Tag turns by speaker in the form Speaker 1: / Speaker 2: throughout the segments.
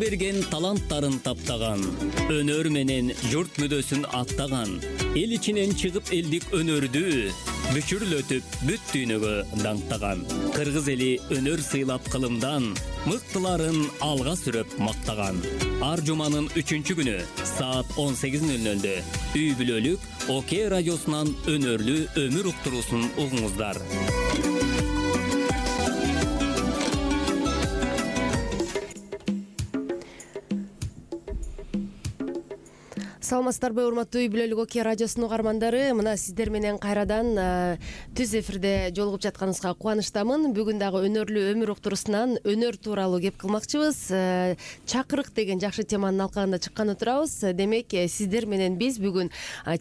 Speaker 1: берген таланттарын таптаган, өнөр менен журт мүдөсүн аттаган, эл ичинен чыгып элдик өнөрдү бүчүрлөтүп бүт дүйнөгө даңктаган, кыргыз эли өнөр сыйлап кылымдан мыктыларын алга сүрөп мактаган. Ар жуманын 3-күнү саат 18:00 үй бүлөлүк ОК радиосунан өнөрлүү өмүр уктуруусун угуңуздар.
Speaker 2: Саламатсыздарбы, урматтуу үй бүлөлүк ОК радиосунун угармандары. Мына сиздер менен кайрадан түз эфирде жолугуп жатканыбызга кубанычтамын. Бүгүн дагы өнөрлүү өмүр уктуруусунан өнөр тууралуу кеп кылмакчыбыз. Чакырык деген жакшы теманын алкагында чыкканы турабыз. Демек, сиздер менен биз бүгүн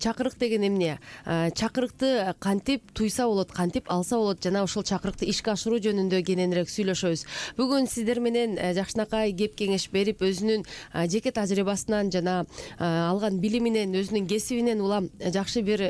Speaker 2: чакырык деген эмне, чакырыкты кантип туйса болот, кантип алса болот жана ошол чакырыкты ишке ашыруу жөнүндө кененирээк сүйлөшөбүз. Бүгүн сиздер менен жакшынакай кеп кеңеш берип, өзүнүн жеке тажрыйбасынан жана алган билиминен, өзүнүн кесибинен улам жакшы бир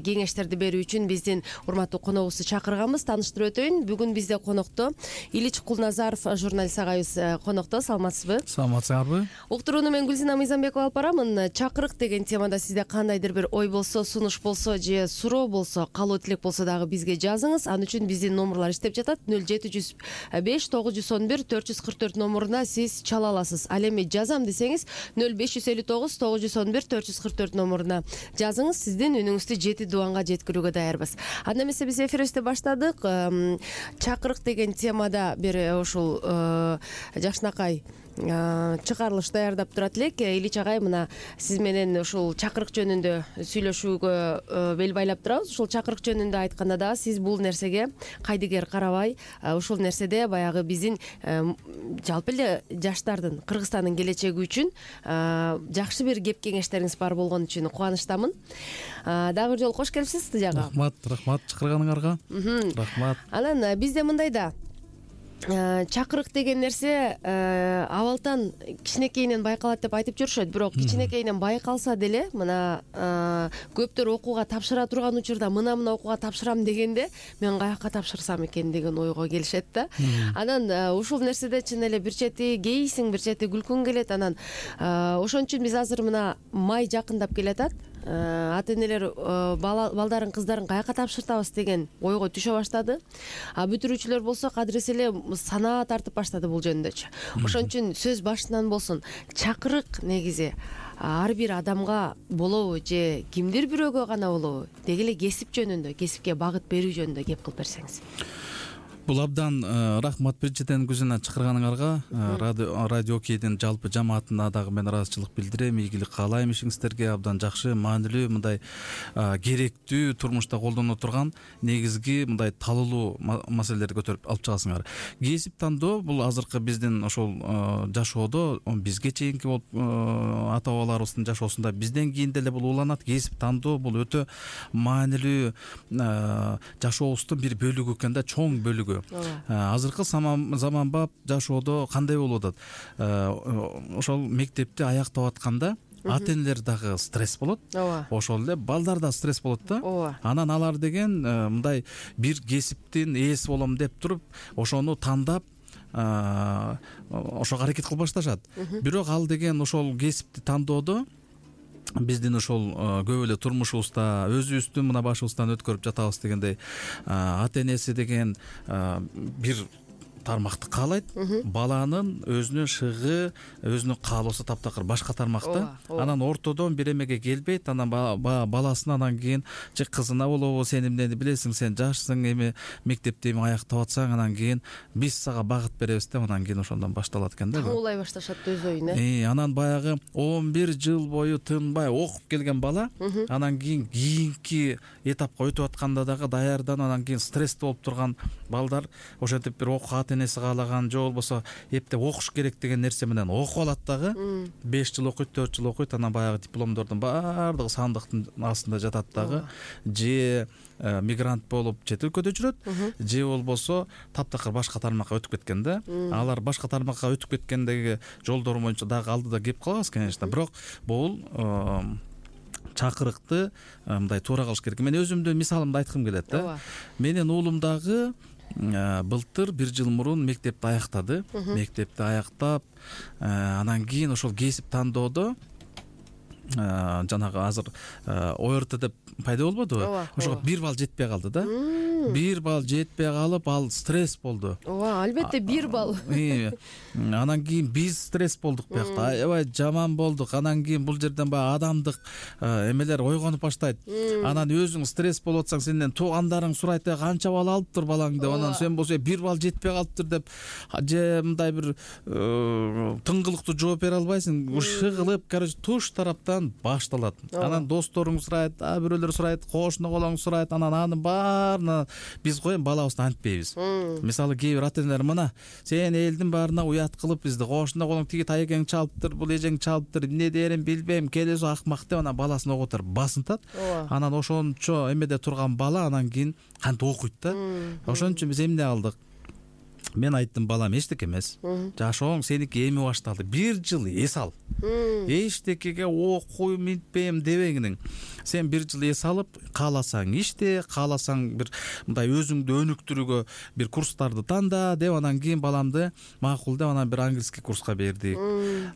Speaker 2: кеңештерди берүү үчүн биздин урматтуу коногубузду чакырганбыз. Тааныштырып өтөйүн. Бүгүн бизде конокто Илич Кулназаров журналист агайыбыз конокто. Саламатсызбы?
Speaker 3: Саламатсыздарбы?
Speaker 2: Уктурууну мен Гүлзина Мыйзамбекова алып барамын. Чакырык деген темада сизде кандайдыр бир ой болсо, сунуш болсо же суроо болсо, каалоо тилек болсо дагы бизге жазыңыз. Ан үчүн биздин номурлар иштеп жатат. 0705 911 444 номуруна сиз чала аласыз. Ал эми жазам десеңиз 0559 911 444 номуруна жазыңыз. Сиздин үнүңүздү 7 дубанга жеткирүүгө даярбыз. Анда эмесе биз эфирибизди баштадык. Чакырык деген темада бир ушул жакшынакай чыгарылыш даярдап турат элек. Илич агай, мына сиз менен ушул чакырык жөнүндө сүйлөшүүгө бел байлап турабыз. Ушул чакырык жөнүндө айтканда дагы сиз бул нерсеге кайдыгер карабай, ушул нерседе баягы биздин жалпы эле жаштардын, Кыргызстандын келечеги үчүн жакшы бир кеп кеңештериңиз бар болгон үчүн кубанычтамын. Дагы бир жолу кош келипсиз студияга.
Speaker 3: Рахмат чакырганыңарга. Рахмат.
Speaker 2: Анан бизде мындай да чакырык деген нерсе абалтан кичинекейинен байкалат деп айтып жүрүшөт. Бирок кичинекейинен байкалса деле, мына көптөр окууга тапшыра турган учурда мына окууга тапшырам дегенде мен каяка тапшырсам экен деген ойго келишет да. Анан ушул нерседе чын эле бир чети кейсиң, бир чети күлкүң келет. Анан ошон үчүн биз азыр мына май жакындап келатат. Ата энелер балдарын, кыздарын каяка тапшыртабыз деген ойго түшө баштады. Бүтүрүүчүлөр болсо кадыресе эле санаа тартып баштады бул жөнүндөчү. Ошон үчүн сөз башынан болсун. Чакырык негизи ар бир адамга болобу же кимдир бирөөгө гана болобу? Деги эле кесип жөнүндө, кесипке багыт берүү жөнүндө кеп кылып берсеңиз.
Speaker 3: Бул абдан рахмат биринчиден Гүлзина чакырганыңарга. Радио ОКдин жалпы жамаатына дагы мен ыраазычылык билдирем. Ийгилик каалайм ишиңиздерге. Абдан жакшы, маанилүү, мындай керектүү, турмушта колдоно турган негизги мындай талуулуу маселелерди көтөрүп алып чыгасыңар. Кесип тандоо бул азыркы биздин ошол жашоодо, бизге чейинки болуп ата бабаларыбыздын жашоосунда бизден кийин деле бул уланат. Кесип тандоо бул өтө маанилүү жашообуздун бир бөлүгү экен да, чоң бөлүгү. Азыркы заманбап жашоодо кандай болуп атат? Ошол мектепти аяктап атканда ата энелер дагы стресс болот. Ошол эле балдар да стресс болот да. Анан алар деген мындай бир кесиптин ээси болом деп туруп, ошону тандап ошого аракет кылып башташат. Бирок ал деген ошол кесипти тандоодо биздин ошол көп эле турмушубузда өзүбүздүн мына башыбыздан өткөрүп жатабыз дегендей, ата энеси деген бир тармакты каалайт. Баланын өзүнүн шыгы, өзүнүн каалоосу таптакыр башка тармакта. Анан ортодон бир эмеге келбейт. Анан баласын анан кийин же кызына болобу, сен эмнени билесиң, сен жашсың, эми мектепти аяктап атсаң, анан кийин биз сага багыт беребиз деп, анан кийин ошондон башталат экен да.
Speaker 2: Тауулай башташат өз оюн.
Speaker 3: Анан баягы 11 жыл бою тынбай окуп келген бала, анан кийинки этапка өтүп атканда дагы даярдан, анан кийин стрессте болуп турган балдар ошентип бир окууга энеси каалаган же болбосо эптеп окуш керек деген нерсе менен окуп алат дагы. 5 жыл окуйт, 4 жыл окуйт, анан баягы дипломдордун баардыгы сандыктын астында жатат дагы. Же мигрант болуп чет өлкөдө жүрөт, же болбосо таптакыр башка тармакка өтүп кеткен да. Алар башка тармакка өтүп кеткендеги жолдору боюнча дагы алдыда кеп калабыз, конечно. Бирок бул чакырыкты мындай туура кылыш керек. Мен өзүмдүн мисалымды айткым келет да. Менин уулум дагы былтыр 1 жыл мурун мектепти аяктады. Мектепти аяктап, анан кийин ошол кесип тандоодо жанагы азыр ОРТ деп пайда болбодубу? Ошого 1 балл жетпей калды да. 1 балл жетпей калып, ал стресс болду.
Speaker 2: Ооба, албетте 1 балл.
Speaker 3: Анан кийин биз стресс болдук биякта. Аябай жаман болдук. Анан кийин бул жерден баягы адамдык эмелер ойгонуп баштайт. Анан өзүң стресс болуп атсаң, сенден туугандарың сурайт, канча балл алыптыр балаң деп. Анан сен болсо 1 балл жетпей калыптыр деп, же мындай бир тыңгылыктуу жооп бере албайсың. Ушыгылып, короче, туш тараптан башталат. Анан досторуң сурайт, бирөөлөр сурайт, кошуна колоң сурайт. Анан анын баарына биз балабызды антпейбиз. Мисалы, кээ бир ата-энелер мына сен элдин баарына уят кылып бизди, кошуна колоң тиги таекең чалыптыр, бул эжең чалыптыр, эмне дээрин билбейм, келесо акмак деп анан баласын окутар басынтат. Анан ошончо эмеде турган бала анан кийин кантип окуйт да. Ошон үчүн биз эмне кылдык? Мен айттым, балам эчтеке эмес. Жашооң сеники эми башталды. 1 жыл эс ал. Эчтекеге окуйм, минтпейм дебеңиң. Сен 1 жыл эс алып, кааласаң иште, кааласаң бир мындай өзүңдү өнүктүрүүгө бир курстарды танда деп, анан кийин баламды макул деп анан бир английский курска бердик.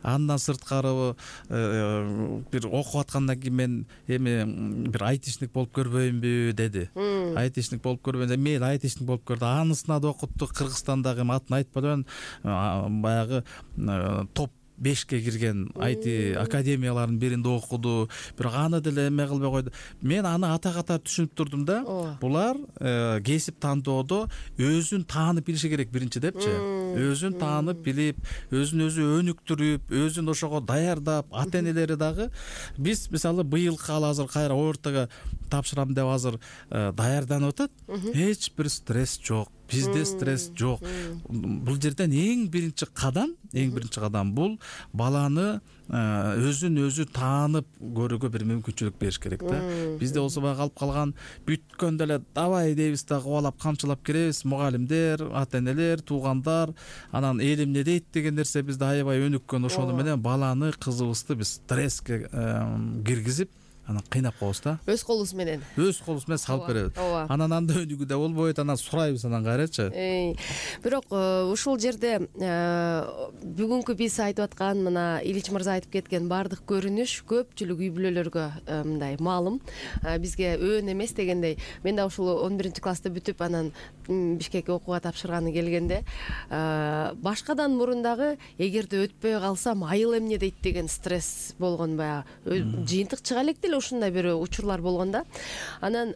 Speaker 3: Андан сырткары бир окуп аткандан кийин мен эми бир айтишник болуп көрбөйүнбү деди. Айтишник болуп көрбөйүн. Мейли айтишник болуп көрдү. Анысына да окуттук. Кыргызстанда атын айтпадым, баягы топ 5ке кирген IT академияларынын биринде окуду. Бирок аны деле эме кылбай койду. Мен аны ата-ката түшүнүп турдум да. Булар кесип тандоодо өзүн таанып билиши керек биринчи депчи. Өзүн таанып билип, өзүн өзү өнүктүрүп, өзүн ошого даярдап, ата-энелери дагы биз мисалы быйыл азыр кайра ОРТга тапшырам деп азыр даярданып атат. Эч бир стресс жок. Бизде стресс жок. Бул жерден эң биринчи кадам бул баланы өзүн өзү таанып көрүүгө бир мүмкүнчүлүк бериш керек да. Бизде болсо баягы калып калган, бүткөндө эле давай дейбиз да, кубалап камчылап киребиз. Мугалимдер, ата-энелер, туугандар, анан эл эмне дейт деген нерсе бизде аябай өнүккөн. Ошону менен баланы, кызыбызды биз стресске киргизип, анан кыйнап коебуз да.
Speaker 2: Өз колубуз менен
Speaker 3: салып беребиз. Анан анда өнүгүү да болбойт, анан сурайбыз анан кайрачы.
Speaker 2: Бирок ушул жерде бүгүнкү биз айтып аткан, мына Ильич мырза айтып кеткен баардык көрүнүш көпчүлүк үй бүлөлөргө мындай маалым. Бизге өөн эмес дегендей. Мен да ушул 11 классты бүтүп, анан Бишкекке окууга тапшырганы келгенде, башкадан мурун дагы эгерде өтпөй калсам айыл эмне дейт деген стресс болгон, баягы жыйынтык чыга элек деле ушундай бир учурлар болгон да. Анан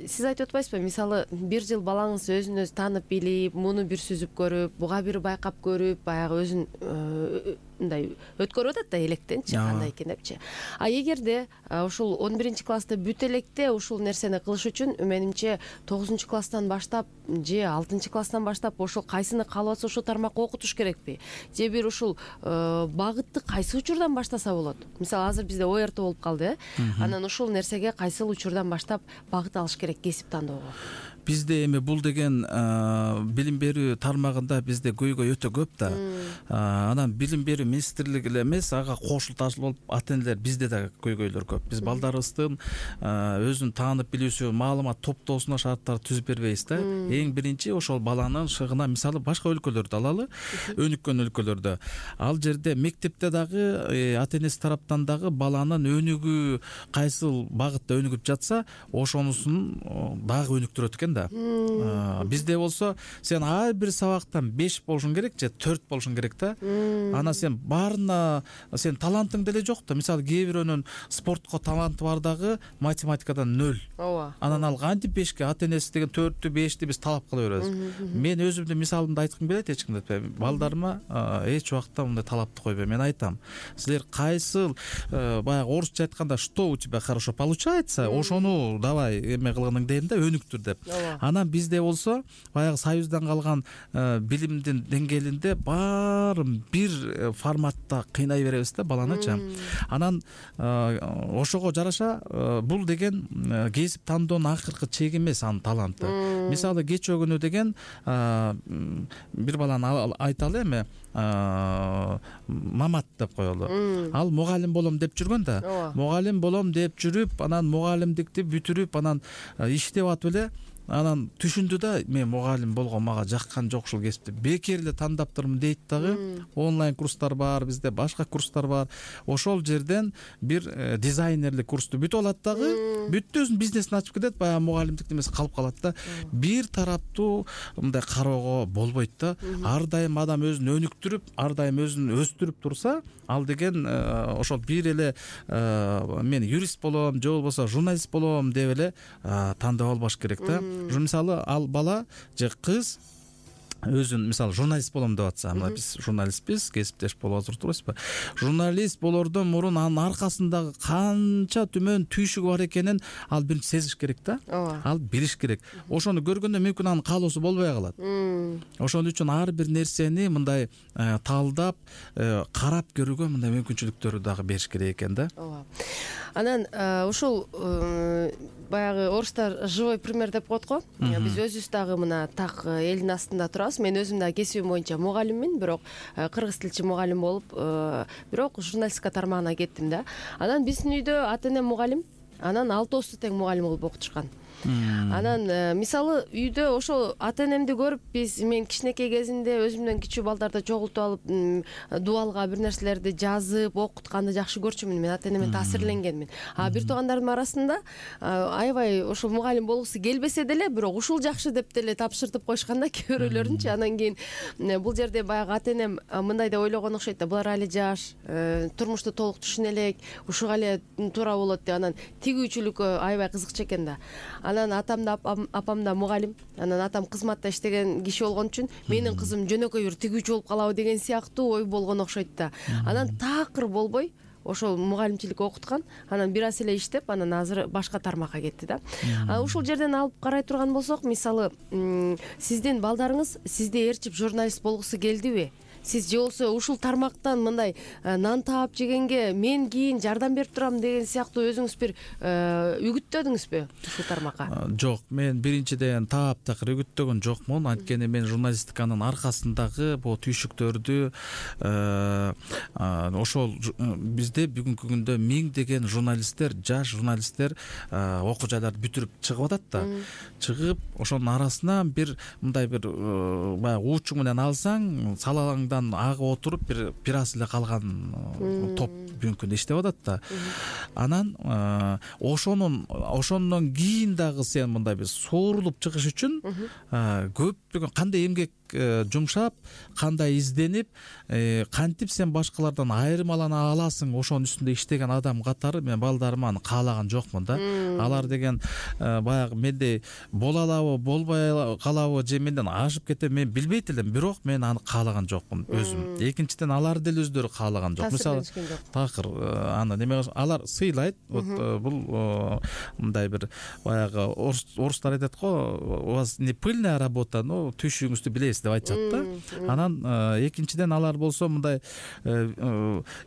Speaker 2: сиз айтып атпайсызбы, мисалы 1 жыл балаңыз өзүн өзү таанып билип, муну бир сүзүп көрүп, буга бир байкап көрүп, баягы өзүн мындай өткөрүп атат да электенчи, кандай экен депчи. Эгерде ушул 11 классты бүт электе ушул нерсени кылыш үчүн менимче 9 класстан баштап же 6 класстан баштап ошол кайсыны каалап атса ошол тармакка окутуш керекпи? Же бир ушул багытты кайсы учурдан баштаса болот? Мисалы азыр бизде ОРТ болуп калды, анан ушул нерсеге кайсыл учурдан баштап багыт алыш керек кесип тандоого?
Speaker 3: Бизде эми бул деген билим берүү тармагында бизде көйгөй өтө көп да. Анан билим берүү министрлиги эле эмес, ага кошулташып ата-энелер бизде да көйгөйлөр көп. Биз балдарыбыздын өзүн таанып билүүсү, маалымат топтоосуна шарттар түзүп бербейбиз да. Эң биринчи ошол баланын шыгына, мисалы башка өлкөлөрдү алалы, өнүккөн өлкөлөрдө. Ал жерде мектепте дагы ата-энеси тараптан дагы баланын өнүгүү кайсыл багытта өнүгүп жатса, ошонусун дагы өнүктүрөт экен да. Бизде болсо сен ар бир сабактан 5 болушуң керек же 4 болушуң керек да. Анан сен баарына сен талантың деле жок да. Мисалы кээ бирөөнүн спортко таланты бар дагы математикадан 0. Анан ал кантип 5ке, ата-энеси деген 4-тү 5ти биз талап кыла беребиз. Мен өзүмдүн мисалымды айткым келет, эч кимди айтпайм. Балдарыма эч убакта мындай талапты койбойм. Мен айтам, силер кайсыл баягы орусча айтканда что у тебя хорошо получается, ошону давай эме кылгының дейм да, өнүктүр деп. Анан бизде болсо баягы Союздан калган билимдин деңгээлинде баарын бир форматта кыйнай беребиз да баланычы. Анан ошого жараша бул деген кесип тандоонун акыркы чеги эмес анын таланты. Мисалы кечөгүнү деген бир баланы айталы эми, Мамат деп коелу. Ал мугалим болом деп жүргөн да. Мугалим болом деп жүрүп, анан мугалимдикти бүтүрүп, анан иштеп атып эле анан түшүндү да мен мугалим болгон мага жаккан жок ушул кесипти, бекер эле тандаптырмын дейт дагы. Онлайн курстар бар, бизде башка курстар бар. Ошол жерден бир дизайнерлик курсту бүтүп алат дагы, бүттү өзүнүн бизнесин ачып кетет, баягы мугалимдик немеси калып калат да. Бир тараптуу мындай кароого болбойт да. Ар дайым адам өзүн өнүктүрүп, ар дайым өзүн өстүрүп турса, ал деген ошол бир эле мен юрист болом же болбосо журналист болом деп эле тандап албаш керек да. Мисалы ал бала же кыз өзүн мисалы журналист болом деп атса, мына биз журналистпиз, кесиптеш болуп отурбузбу? Журналист болордон мурун анын аркасындагы канча түмөн түйшүгү бар экенин ал биринчи сезиш керек да. Ал билиш керек. Ошону көргөндө мүмкүн анын каалоосу болбой калат. Ошон үчүн ар бир нерсени мындай талдап, карап көрүүгө мындай мүмкүнчүлүктөрдү дагы бериш керек экен да.
Speaker 2: Ооба. Анан ушул баягы орустар живой пример деп коет го. Биз өзүбүз дагы мына так элдин астында турабыз. Мен өзүм дагы кесибим боюнча мугалиммин, бирок кыргыз тилчи мугалим болуп, бирок журналистика тармагына кеттим да. Анан биздин үйдө ата-энем мугалим, анан 6 тең мугалим болуп окутушкан. Анан мисалы үйдө ошол ата-энемди көрүп мен кичинекей кезинде өзүмдөн кичүү балдарды чогултуп алып дубалга бир нерселерди жазып окутканды жакшы көрчүмүн. Мен ата-энеме таасирленгенмин. Бир туугандардын арасында аябай ошол мугалим болгусу келбесе деле, бирок ушул жакшы деп деле тапшыртып коюшкан да кээ бирөөлөрүнчү. Анан кийин бул жерде баягы ата-энем мындай деп ойлогон окшойт да, булар али жаш, турмушту толук түшүнө элек, ушуга эле туура болот деп. Анан тигүүчүлүккө аябай кызыкчу экен да. Анан атам да апам да мугалим. Анан атам кызматта иштеген киши болгон үчүн менин кызым жөнөкөй бир тигүүчү болуп калабы деген сыяктуу ой болгон окшойт да. Анан такыр болбой ошол мугалимчилик окуткан. Анан бир аз эле иштеп, анан азыр башка тармакка кетти да. Ушул жерден алып карай турган болсок, мисалы сиздин балдарыңыз сизди ээрчип журналист болгусу келдиби? Сиз же болсо ушул тармактан мындай нан таап жегенге мен кийин жардам берип турам деген сыяктуу өзүңүз бир үгүттөдүңүзбү ушул тармакка?
Speaker 3: Жок, мен биринчиден таптакыр үгүттөгөн жокмун. Анткени мен журналистиканын аркасындагы бул түйшүктөрдү ошол бизде бүгүнкү күндө миңдеген журналисттер, жаш журналисттер окуу жайларды бүтүрүп чыгып атат да. Чыгып, ошонун арасынан бир мындай бир баягы уучуң менен алсаң, салалаңдан агып отуруп бир аз эле калган топ бүгүнкү күндө иштеп атат да. Анан ошондон кийин дагы сен мындай бир соорулуп чыгыш үчүн көптөгөн кандай эмгек жумшап, кандай изденип, кантип сен башкалардан айырмалана аласың, ошонун үстүндө иштеген адам катары мен балдарыма аны каалаган жокмун да. Алар деген баягы мендей боло алабы, болбой калабы, же менден ашып кетеби мен билбейт элем, бирок мен аны каалаган жокмун өзүм. Экинчиден алар деле өздөрү каалаган жок. Мисалы такыр аны неме алар сыйлайт. Бул мындай бир баягы орустар айтат го, у вас не пыльная работа, но түйшүгүңүздү билебиз деп айтышат да. Анан экинчиден алар болсо мындай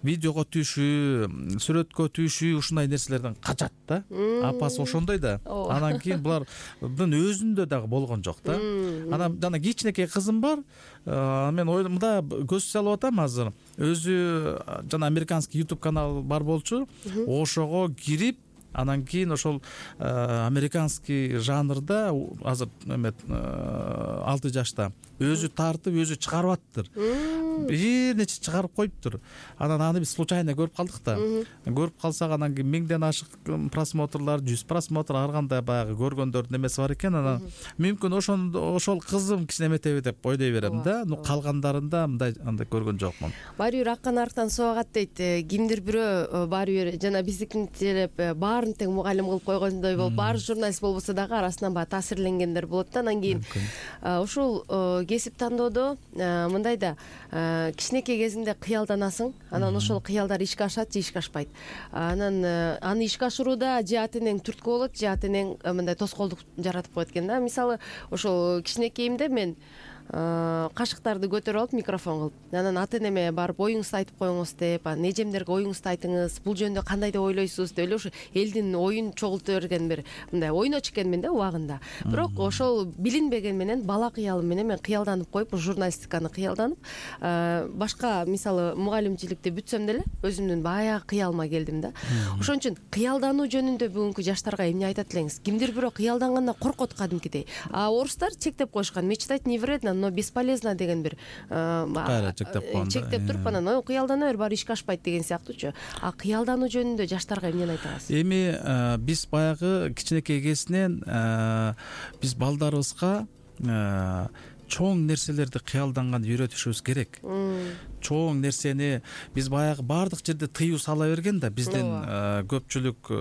Speaker 3: видеого түшүү, сүрөткө түшүү ушундай нерселерден качат да. Апасы ошондой да. Анан кийин булардын өзүндө дагы болгон жок да. Анан жана кичинекей кызым бар. Мен мында көз салып атам азыр. Өзү жана американский YouTube канал бар болчу. Ошого кирип, анан кийин ошол американский жанрда азыр 6 жашта өзү тартып, өзү чыгарып аттыр. Бир нече чыгарып коюптур. Анан аны биз случайно көрүп калдык да. Көрүп калсак, анан кийин 1000ден ашык просмотрлар, 100 просмотр, ар кандай баягы көргөндөрдүн эмеси бар экен. Анан мүмкүн ошол кызым кичинеметеби деп ойлой берем да. Калгандарында мындай андай көргөн жокмун.
Speaker 2: Баары бир аккан арктан сууагат дейт. Кимдир бирөө баары бир жана биздикинчилеп баарын тең мугалим кылып койгондой болуп, баары журналист болбосо дагы арасынан баягы таасирленгендер болот да. Анан кийин ушул кесип тандоодо мындай да, кичинекей кезиңде кыялданасың, анан ошол кыялдар ишке ашат же ишке ашпайт. Анан аны ишке ашырууда же ата-энең түрткү болот, же ата-энең мындай тоскоолдук жаратып коет экен да. Мисалы ошол кичинекейимде мен кашыктарды көтөрүп алып микрофон кылып, анан ата энеме барып оюңузду айтып коюңуз деп, анан эжемдерге оюңузду айтыңыз, бул жөнүндө кандай деп ойлойсуз деп эле ушу элдин оюн чогулта берген бир мындай ойночу экенмин да убагында. Бирок ошол билинбеген менен бала кыялым менен мен кыялданып коюп, журналистиканы кыялданып, башка мисалы мугалимчиликти бүтсөм деле өзүмдүн баягы кыялыма келдим да. Ошон үчүн кыялдануу жөнүндө бүгүнкү жаштарга эмне айтат элеңиз? Кимдир бирөө кыялдангандан коркот кадимкидей. А орустар чектеп коюшкан, мечтать не вредно, но бесполезно деген бир
Speaker 3: кайра
Speaker 2: чектеп туруп анан ой кыялдана бер, баары ишке ашпайт деген сыяктуучу. А кыялдануу жөнүндө жаштарга эмнени айтасыз?
Speaker 3: Эми биз баягы кичинекей кезинен биз балдарыбызга чоң нерселерди кыялданганды үйрөтүшүбүз керек. Чоң нерсени биз баягы баардык жерде тыюу сала берген да, биздин көпчүлүк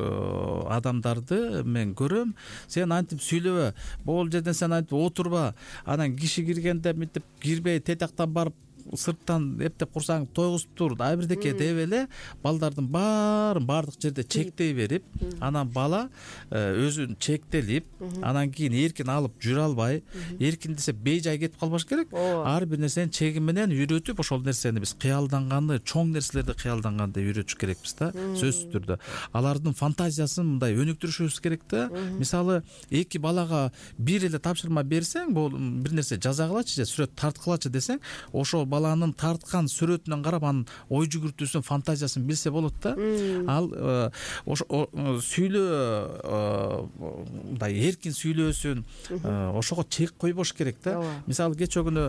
Speaker 3: адамдарды мен көрөм. Сен антип сүйлөбө, бул жерден сен антип отурба, анан киши киргенде мынтип кирбей тетактан барып сырттан эптеп курсаң тойгузуп тур, абирдеке деп эле балдардын баарын баардык жерде чектей берип, анан бала өзүн чектелип, анан кийин эркин алып жүрө албай, эркин десе бейжай кетип калбаш керек. Ар бир нерсени чеги менен үйрөтүп, ошол нерсени биз кыялданганды, чоң нерселерди кыялданганды үйрөтүш керекпиз да, сөзсүз түрдө. Алардын фантазиясын мындай өнүктүрүшүбүз керек да. Мисалы, эки балага бир эле тапшырма берсең, бул бир нерсе жасагылачы же сүрөт тарткылачы десең, ошол баланын тарткан сүрөтүнөн карап анын ой жүгүртүүсүн, фантазиясын билсе болот да. Ал сүйлөө мындай эркин сүйлөөсүн, ошого чек койбош керек да. Мисалы кечээ күнү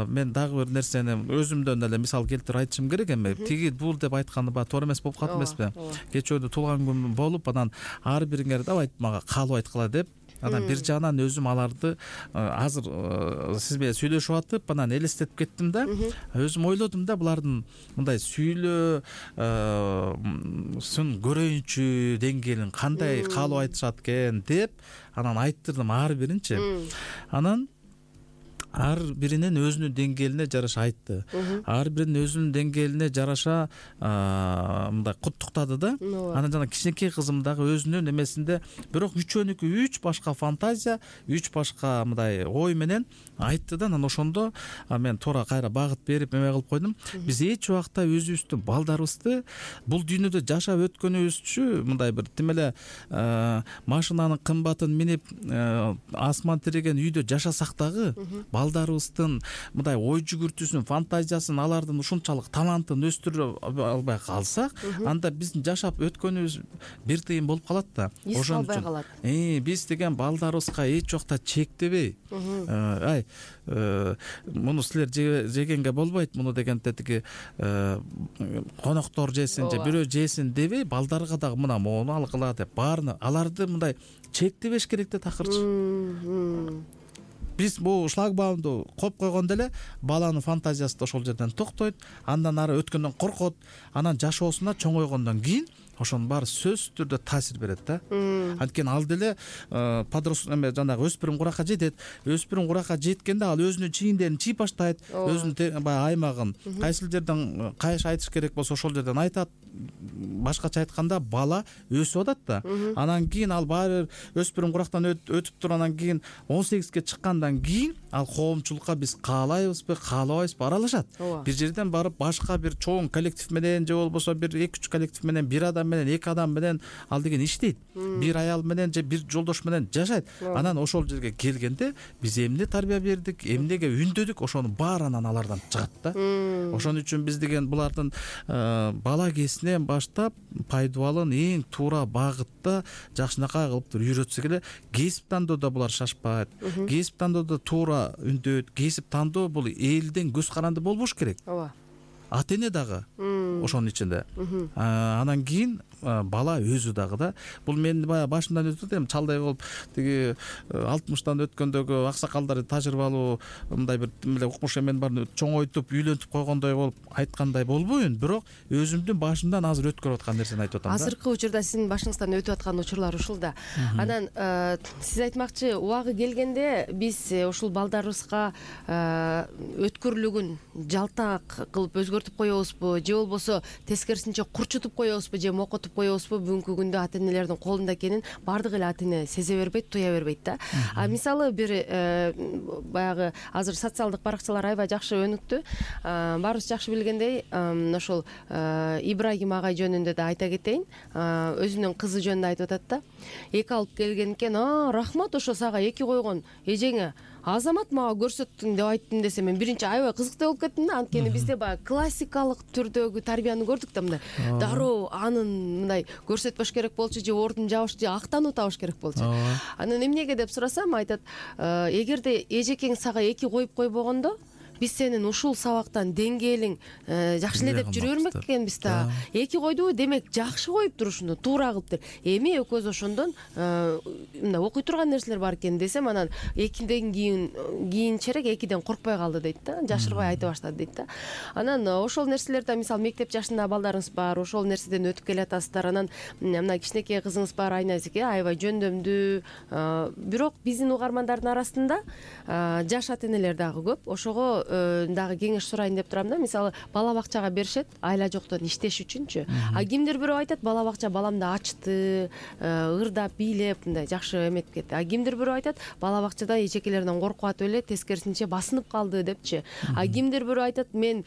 Speaker 3: мен дагы бир нерсени өзүмдөн эле мисал келтирип айтышым керек эми. Тиги бул деп айтканы баа туура эмес болуп калат эмеспи? Кечээ күнү туулган күнүм болуп, анан ар бириңер давай мага каалоо айткыла деп, анан бир жагынан өзүм аларды азыр сиз менен сүйлөшүп атып, анан элестетип кеттим да. Өзүм ойлодум да, булардын мындай сүйлөөсүн көрөйүнчү деңгээлин кандай каалоо айтышат экен деп, анан айттырдым ар биринчи. Анан ар биринин өзүнүн деңгээлине жараша айтты. Ар биринин өзүнүн деңгээлине жараша мындай куттуктады да. Анан жана кичинекей кызым дагы өзүнүн эмесинде, бирок үчөөнүкү үч башка фантазия, үч башка мындай ой менен айтты да. Анан ошондо мен туура кайра багыт берип эме кылып койдум. Биз эч убакта өзүбүздүн балдарыбызды бул дүйнөдө жашап өткөнүбүзчү мындай бир тим эле машинанын кымбатын минип асман тиреген үйдө жашасак дагы, балдарыбыздын мындай ой жүгүртүүсүн, фантазиясын, алардын ушунчалык талантын өстүрө албай калсак, анда биздин жашап өткөнүбүз бир тыйын болуп калат да.
Speaker 2: Ошон үчүн
Speaker 3: биз деген балдарыбызга эч убакта чектебей, ай муну силер жегенге болбойт, муну дегенде тиги коноктор жесин же бирөө жесин дебей, балдарга дагы мына мону алгыла деп баарына аларды мындай чектебеш керек да такырчы. Биз бул шлагбаумду коюп койгондо эле баланын фантазиясы да ошол жерден токтойт, андан ары өткөндөн коркот, анан жашоосуна чоңойгондон кийин ошонун баары сөзсүз түрдө таасир берет да. Анткени ал деле жанагы өспүрүм куракка жетет. Өспүрүм куракка жеткенде ал өзүнүн чийиндерин чийип баштайт, өзүнүн баягы аймагын кайсыл жерден кайш айтыш керек болсо ошол жерден айтат. Башкача айтканда, бала өсүп атат да. Анан кийин ал баары өспүрүм курактан өтүп туруп, анан кийин 18ге чыккандан кийин ал коомчулукка биз каалайбызбы, каалабайбызбы аралашат. Бир жерден барып башка бир чоң коллектив менен же болбосо бир 2-3 коллектив менен, бир адам менен, 2 адам менен ал деген иштейт. Бир аял менен же бир жолдош менен жашайт. Анан ошол жерге келгенде биз эмне тарбия бердик, эмнеге үндөдүк, ошонун баарынан алардан чыгат да. Ошон үчүн биз деген булардын бала кезинен баштап пайдубалын эң туура багытта жакшынакай кылып үйрөтсөк эле, кесип тандоодо булар шашпайт. Кесип тандоодо туура үндөйт. Кесип тандоо бул элден көз каранды болбош керек. Ата эне дагы ошонун ичинде. Анан кийин бала өзү дагы да. Бул мен баягы башымдан өтүп эми чалдай болуп тиги 60тан өткөндөгү аксакалдар тажрыйбалуу мындай бир эле укмуш эмени баарын чоңойтуп, үйлөнтүп койгондой болуп айткандай болбойюн, бирок өзүмдүн башымдан азыр өткөрүп аткан нерсени айтып атам да.
Speaker 2: Азыркы учурда сиздин башыңыздан өтүп аткан учурлар ушул да. Анан сиз айтмакчы, убагы келгенде биз ушул балдарыбызга өткүрлүгүн жалтак кылып өзгөртүп коебузбу, же болбосо болбосо тескерисинче курчутуп коебузбу же мокотуп коебузбу бүгүнкү күндө ата энелердин колунда экенин баардык эле ата эне сезе бербейт, туя бербейт да. Мисалы бир баягы азыр социалдык баракчалар аябай жакшы өнүктү. Баарыбыз жакшы билгендей, ошол Ибрагим агай жөнүндө да айта кетейин. Өзүнүн кызы жөнүндө айтып атат да. Эки алып келген экен. Рахмат, ошо сага эки койгон эжеңе Азамат мага көрсөттүң деп айттым десе, мен биринчи аябай кызыктуу болуп кеттим да. Анткени бизде баягы классикалык түрдөгү тарбияны көрдүк да, мындай дароо анын мындай көрсөтпөш керек болчу, же ордун жабыш, же актануу табыш керек болчу. Анан эмнеге деп сурасам, айтат, эгерде эжекең сага эки коюп койбогондо, биз сенин ушул сабактан деңгээлиң жакшы эле деп жүрө бермек экенбиз да. Эки койду, демек жакшы коюптур, ушуну туура кылыптыр. Эми экөөбүз ошондон мындай окуй турган нерселер бар экен десем, анан экиден кийинчерээк экиден коркпой калды дейт да, жашырбай айта баштады дейт да. Анан ошол нерселерди, мисалы мектеп жашындагы балдарыңыз бар, ошол нерседен өтүп келатасыздар. Анан мына кичинекей кызыңыз бар, Айназике, аябай жөндөмдүү. Бирок биздин угармандардын арасында жаш ата энелер дагы көп. Ошого дагы кеңеш сурайын деп турам да. Мисалы бала бакчага беришет айла жоктон иштеш үчүнчү. Кимдир бирөө айтат, бала бакча баламды ачты, ырдап, бийлеп мындай жакшы эметип кетти. Кимдир бирөө айтат, бала бакчада эжекелерден коркуп атып эле тескерисинче басынып калды депчи. Кимдир бирөө айтат, мен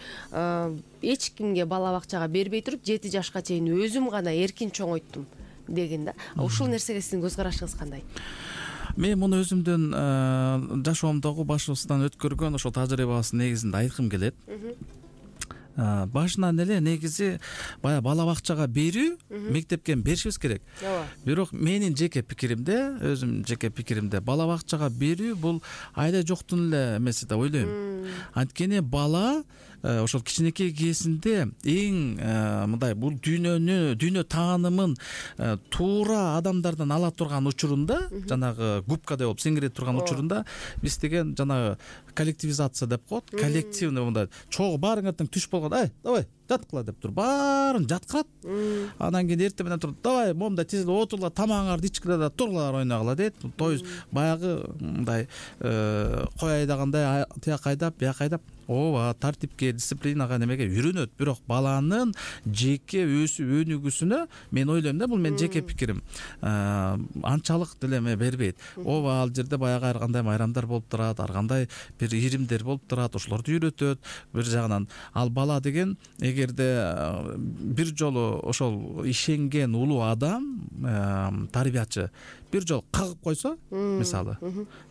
Speaker 2: эч кимге бала бакчага бербей туруп 7 жашка чейин өзүм гана эркин чоңойттум деген да. Ушул нерсеге сиздин көз карашыңыз кандай?
Speaker 3: Мен муну өзүмдүн жашоомдогу башыбыздан өткөргөн ошол тажрыйбабыздын негизинде айткым келет. Башынан эле негизи баягы бала бакчага берүү, мектепке беришибиз керек. Бирок менин жеке пикиримде, өзүм жеке пикиримде, бала бакчага берүү бул айда жоктун эле эмеси деп ойлойм. Анткени бала ошол кичинекей кезинде эң мындай бул дүйнө таанымын туура адамдардан ала турган учурунда, жанагы губкадай болуп сиңире турган учурунда биз деген жанагы коллективизация деп коет, коллективный мындай чогуу баарыңар тең түш болгон, давай жаткыла деп туруп баарын жаткырат. Анан кийин эртең менен туруп, давай момундай тизилип отурула, тамагыңарды ичкиле да туруңар ойногула дейт. То есть баягы мындай кой айдагандай тияк айдап, бияк айдап, ооба тартипке, дисциплинага немеге үйрөнөт. Бирок баланын жеке өсүп өнүгүүсүнө мен ойлойм да, бул менин жеке пикирим, анчалык деле бербейт. Ооба ал жерде баягы ар кандай майрамдар болуп турат, ар кандай бир иримдер болуп турат, ошолорду үйрөтөт. Бир жагынан ал бала деген эгерде бир жолу ошол ишенген улуу адам, тарбиячы бир жолу кагып койсо, мисалы,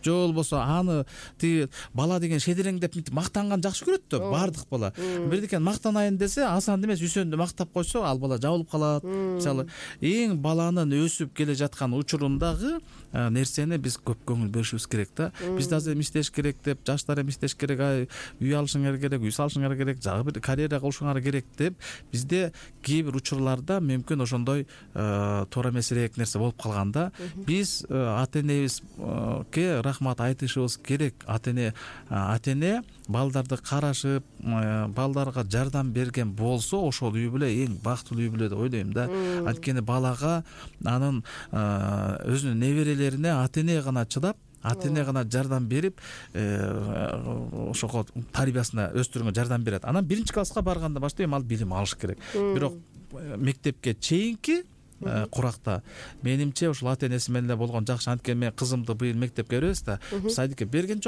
Speaker 3: же болбосо аны тиги бала деген шедиреңдеп мынтип мактанган жакшы көрөт да баардык бала. Бирдикен мактанайын десе, Асанды эмес Үсөндү мактап койсо, ал бала жабылып калат. Мисалы, эң баланын өсүп келе жаткан учурундагы нерсени биз көп көңүл беришибиз керек да. Биз да азыр иштеш керек деп, жаштар эми иштеш керек, үй алышыңар керек, үй салышыңар керек, жагы бир карьера кылышыңар керек деп, бизде кээ бир учурларда мүмкүн ошондой туура эмесирээк нерсе болуп калганда, биз ата энебизге рахмат айтышыбыз керек. Ата эне балдарды карашып, балдарга жардам берген болсо, ошол үй бүлө эң бактылуу үй бүлө деп ойлойм да. Анткени балага анын өзүнүн неберелерине ата эне гана чыдап, ата эне гана жардам берип, ошого тарбиясына өстүрүүгө жардам берет. Анан биринчи класска барганда баштап ал билим алыш керек. Бирок мектепке чейинки куракта менимче ушул ата энеси менен эле болгон жакшы. Анткени мен кызымды быйыл мектепке беребиз да, садикке берген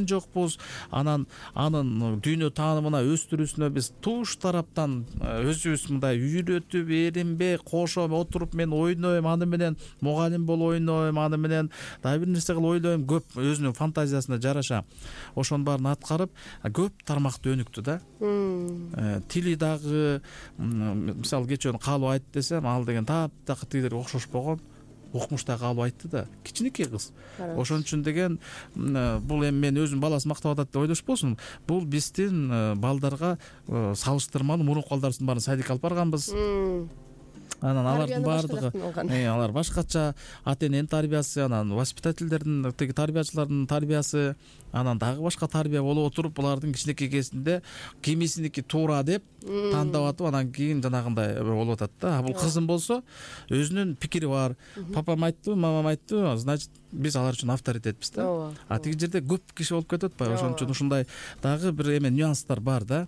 Speaker 3: жокпуз. Анан анын дүйнө таанымына өстүрүүсүнө биз туш тараптан өзүбүз мындай үйрөтүп, эринбей, кошо отуруп мен ойнойм, аны менен мугалим болуп ойнойм, аны менен дагы бир нерсе кылып ойлойм, көп өзүнүн фантазиясына жараша ошонун баарын аткарып, көп тармакты өнүктү да. Тили дагы, мисалы кечөө калып айт десем, ал деген таптакыр тигилерге окшошпогон, укмуштагы калып айтты да, кичинекей кыз. Ошон үчүн деген бул эми мен өзүм баласын мактап атат деп ойлошпосун. Бул биздин балдарга салыштырмалуу мурунку балдарыбыздын баарын садикке алып барганбыз. Анан алардын баардыгы алар башкача, ата эненин тарбиясы, анан воспитательдердин, тиги тарбиячылардын тарбиясы, анан дагы башка тарбия болуп отуруп, булардын кичинекей кезинде кимисиники туура деп тандап атып, анан кийин жанагындай болуп атат да. Бул кызым болсо өзүнүн пикири бар. Папам айтты, мамам айтты, значит биз алар үчүн авторитетпиз да.
Speaker 2: Ооба.
Speaker 3: А тиги жерде көп киши болуп кетип атпайбы, ошон үчүн ушундай дагы бир эме нюанстар бар да.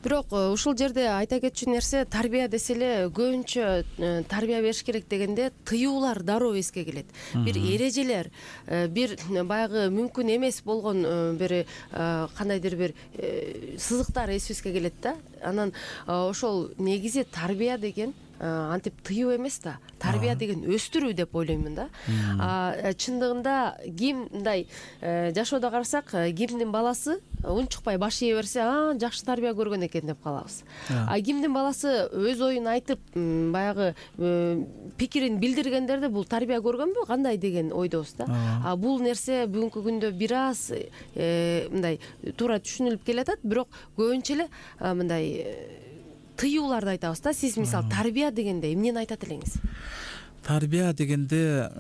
Speaker 2: Бирок ушул жерде айта кетчү нерсе, тарбия десе эле көбүнчө тарбия бериш керек дегенде тыюулар дароо эске келет. Бир эрежелер, бир баягы мүмкүн эмес болгон бир кандайдыр бир сызыктар эсибизге келет да. Анан ошол негизи тарбия деген антип тыюу эмес да, тарбия деген өстүрүү деп ойлоймун да. Чындыгында ким мындай жашоодо карасак, кимдин баласы унчукпай баш ие берсе, жакшы тарбия көргөн экен деп калабыз. Кимдин баласы өз оюн айтып, баягы пикирин билдиргендерде бул тарбия көргөнбү кандай деген ойдобуз да. Бул нерсе бүгүнкү күндө бир аз мындай туура түшүнүлүп келатат, бирок көбүнчө эле мындай тыюуларды айтабыз да. Сиз мисалы тарбия дегенде эмнени айтат элеңиз?
Speaker 3: Тарбия дегенде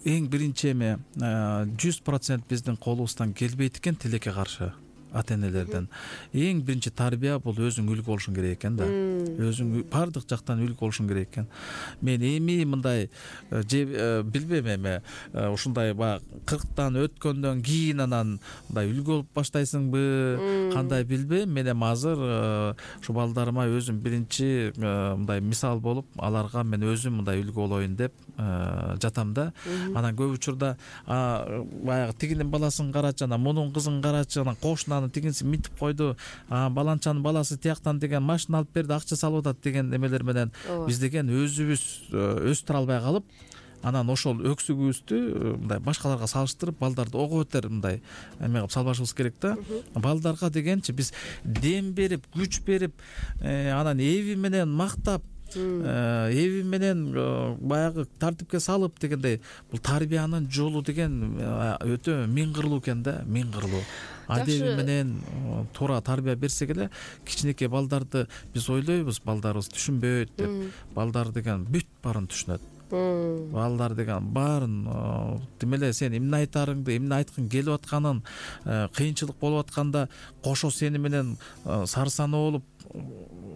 Speaker 3: эң биринчи эме 100% биздин колубуздан келбейт экен тилекке каршы ата энелерден. Эң биринчи тарбия бул өзүң үлгү болушуң керек экен да. Өзүң бардык жактан үлгү болушуң керек экен. Мен эми мындай билбейм, эме ушундай баягы 40тан өткөндөн кийин анан мындай үлгү болуп баштайсыңбы, кандай билбейм. Мен эми азыр ушу балдарыма өзүм биринчи мындай мисал болуп, аларга мен өзүм мындай үлгү болоюн деп жатам да. Анан көп учурда баягы тигинин баласын карачы, анан мунун кызын карачы, анан кошунанын тигинси мынтип койду, баланчанын баласы тияктан деген машина алып берди, акча салып атат деген эмелер менен биз деген өзүбүз өстүрө албай калып, анан ошол өксүгүбүздү мындай башкаларга салыштырып, балдарды ого бетер мындай эме кылып салбашыбыз керек да. Балдарга дегенчи биз дем берип, күч берип, анан эби менен мактап, эби менен баягы тартипке салып дегендей, бул тарбиянын жолу деген өтө миң кырлуу экен да, миң кырлуу. Адеби менен туура тарбия берсек эле, кичинекей балдарды биз ойлойбуз, балдарыбыз түшүнбөйт деп. Балдар деген бүт баарын түшүнөт. Балдар деген баарын демеле сен эмне айтарыңды, эмне айткың келип атканын, кыйынчылык болуп атканда кошо сени менен сарсанаа болуп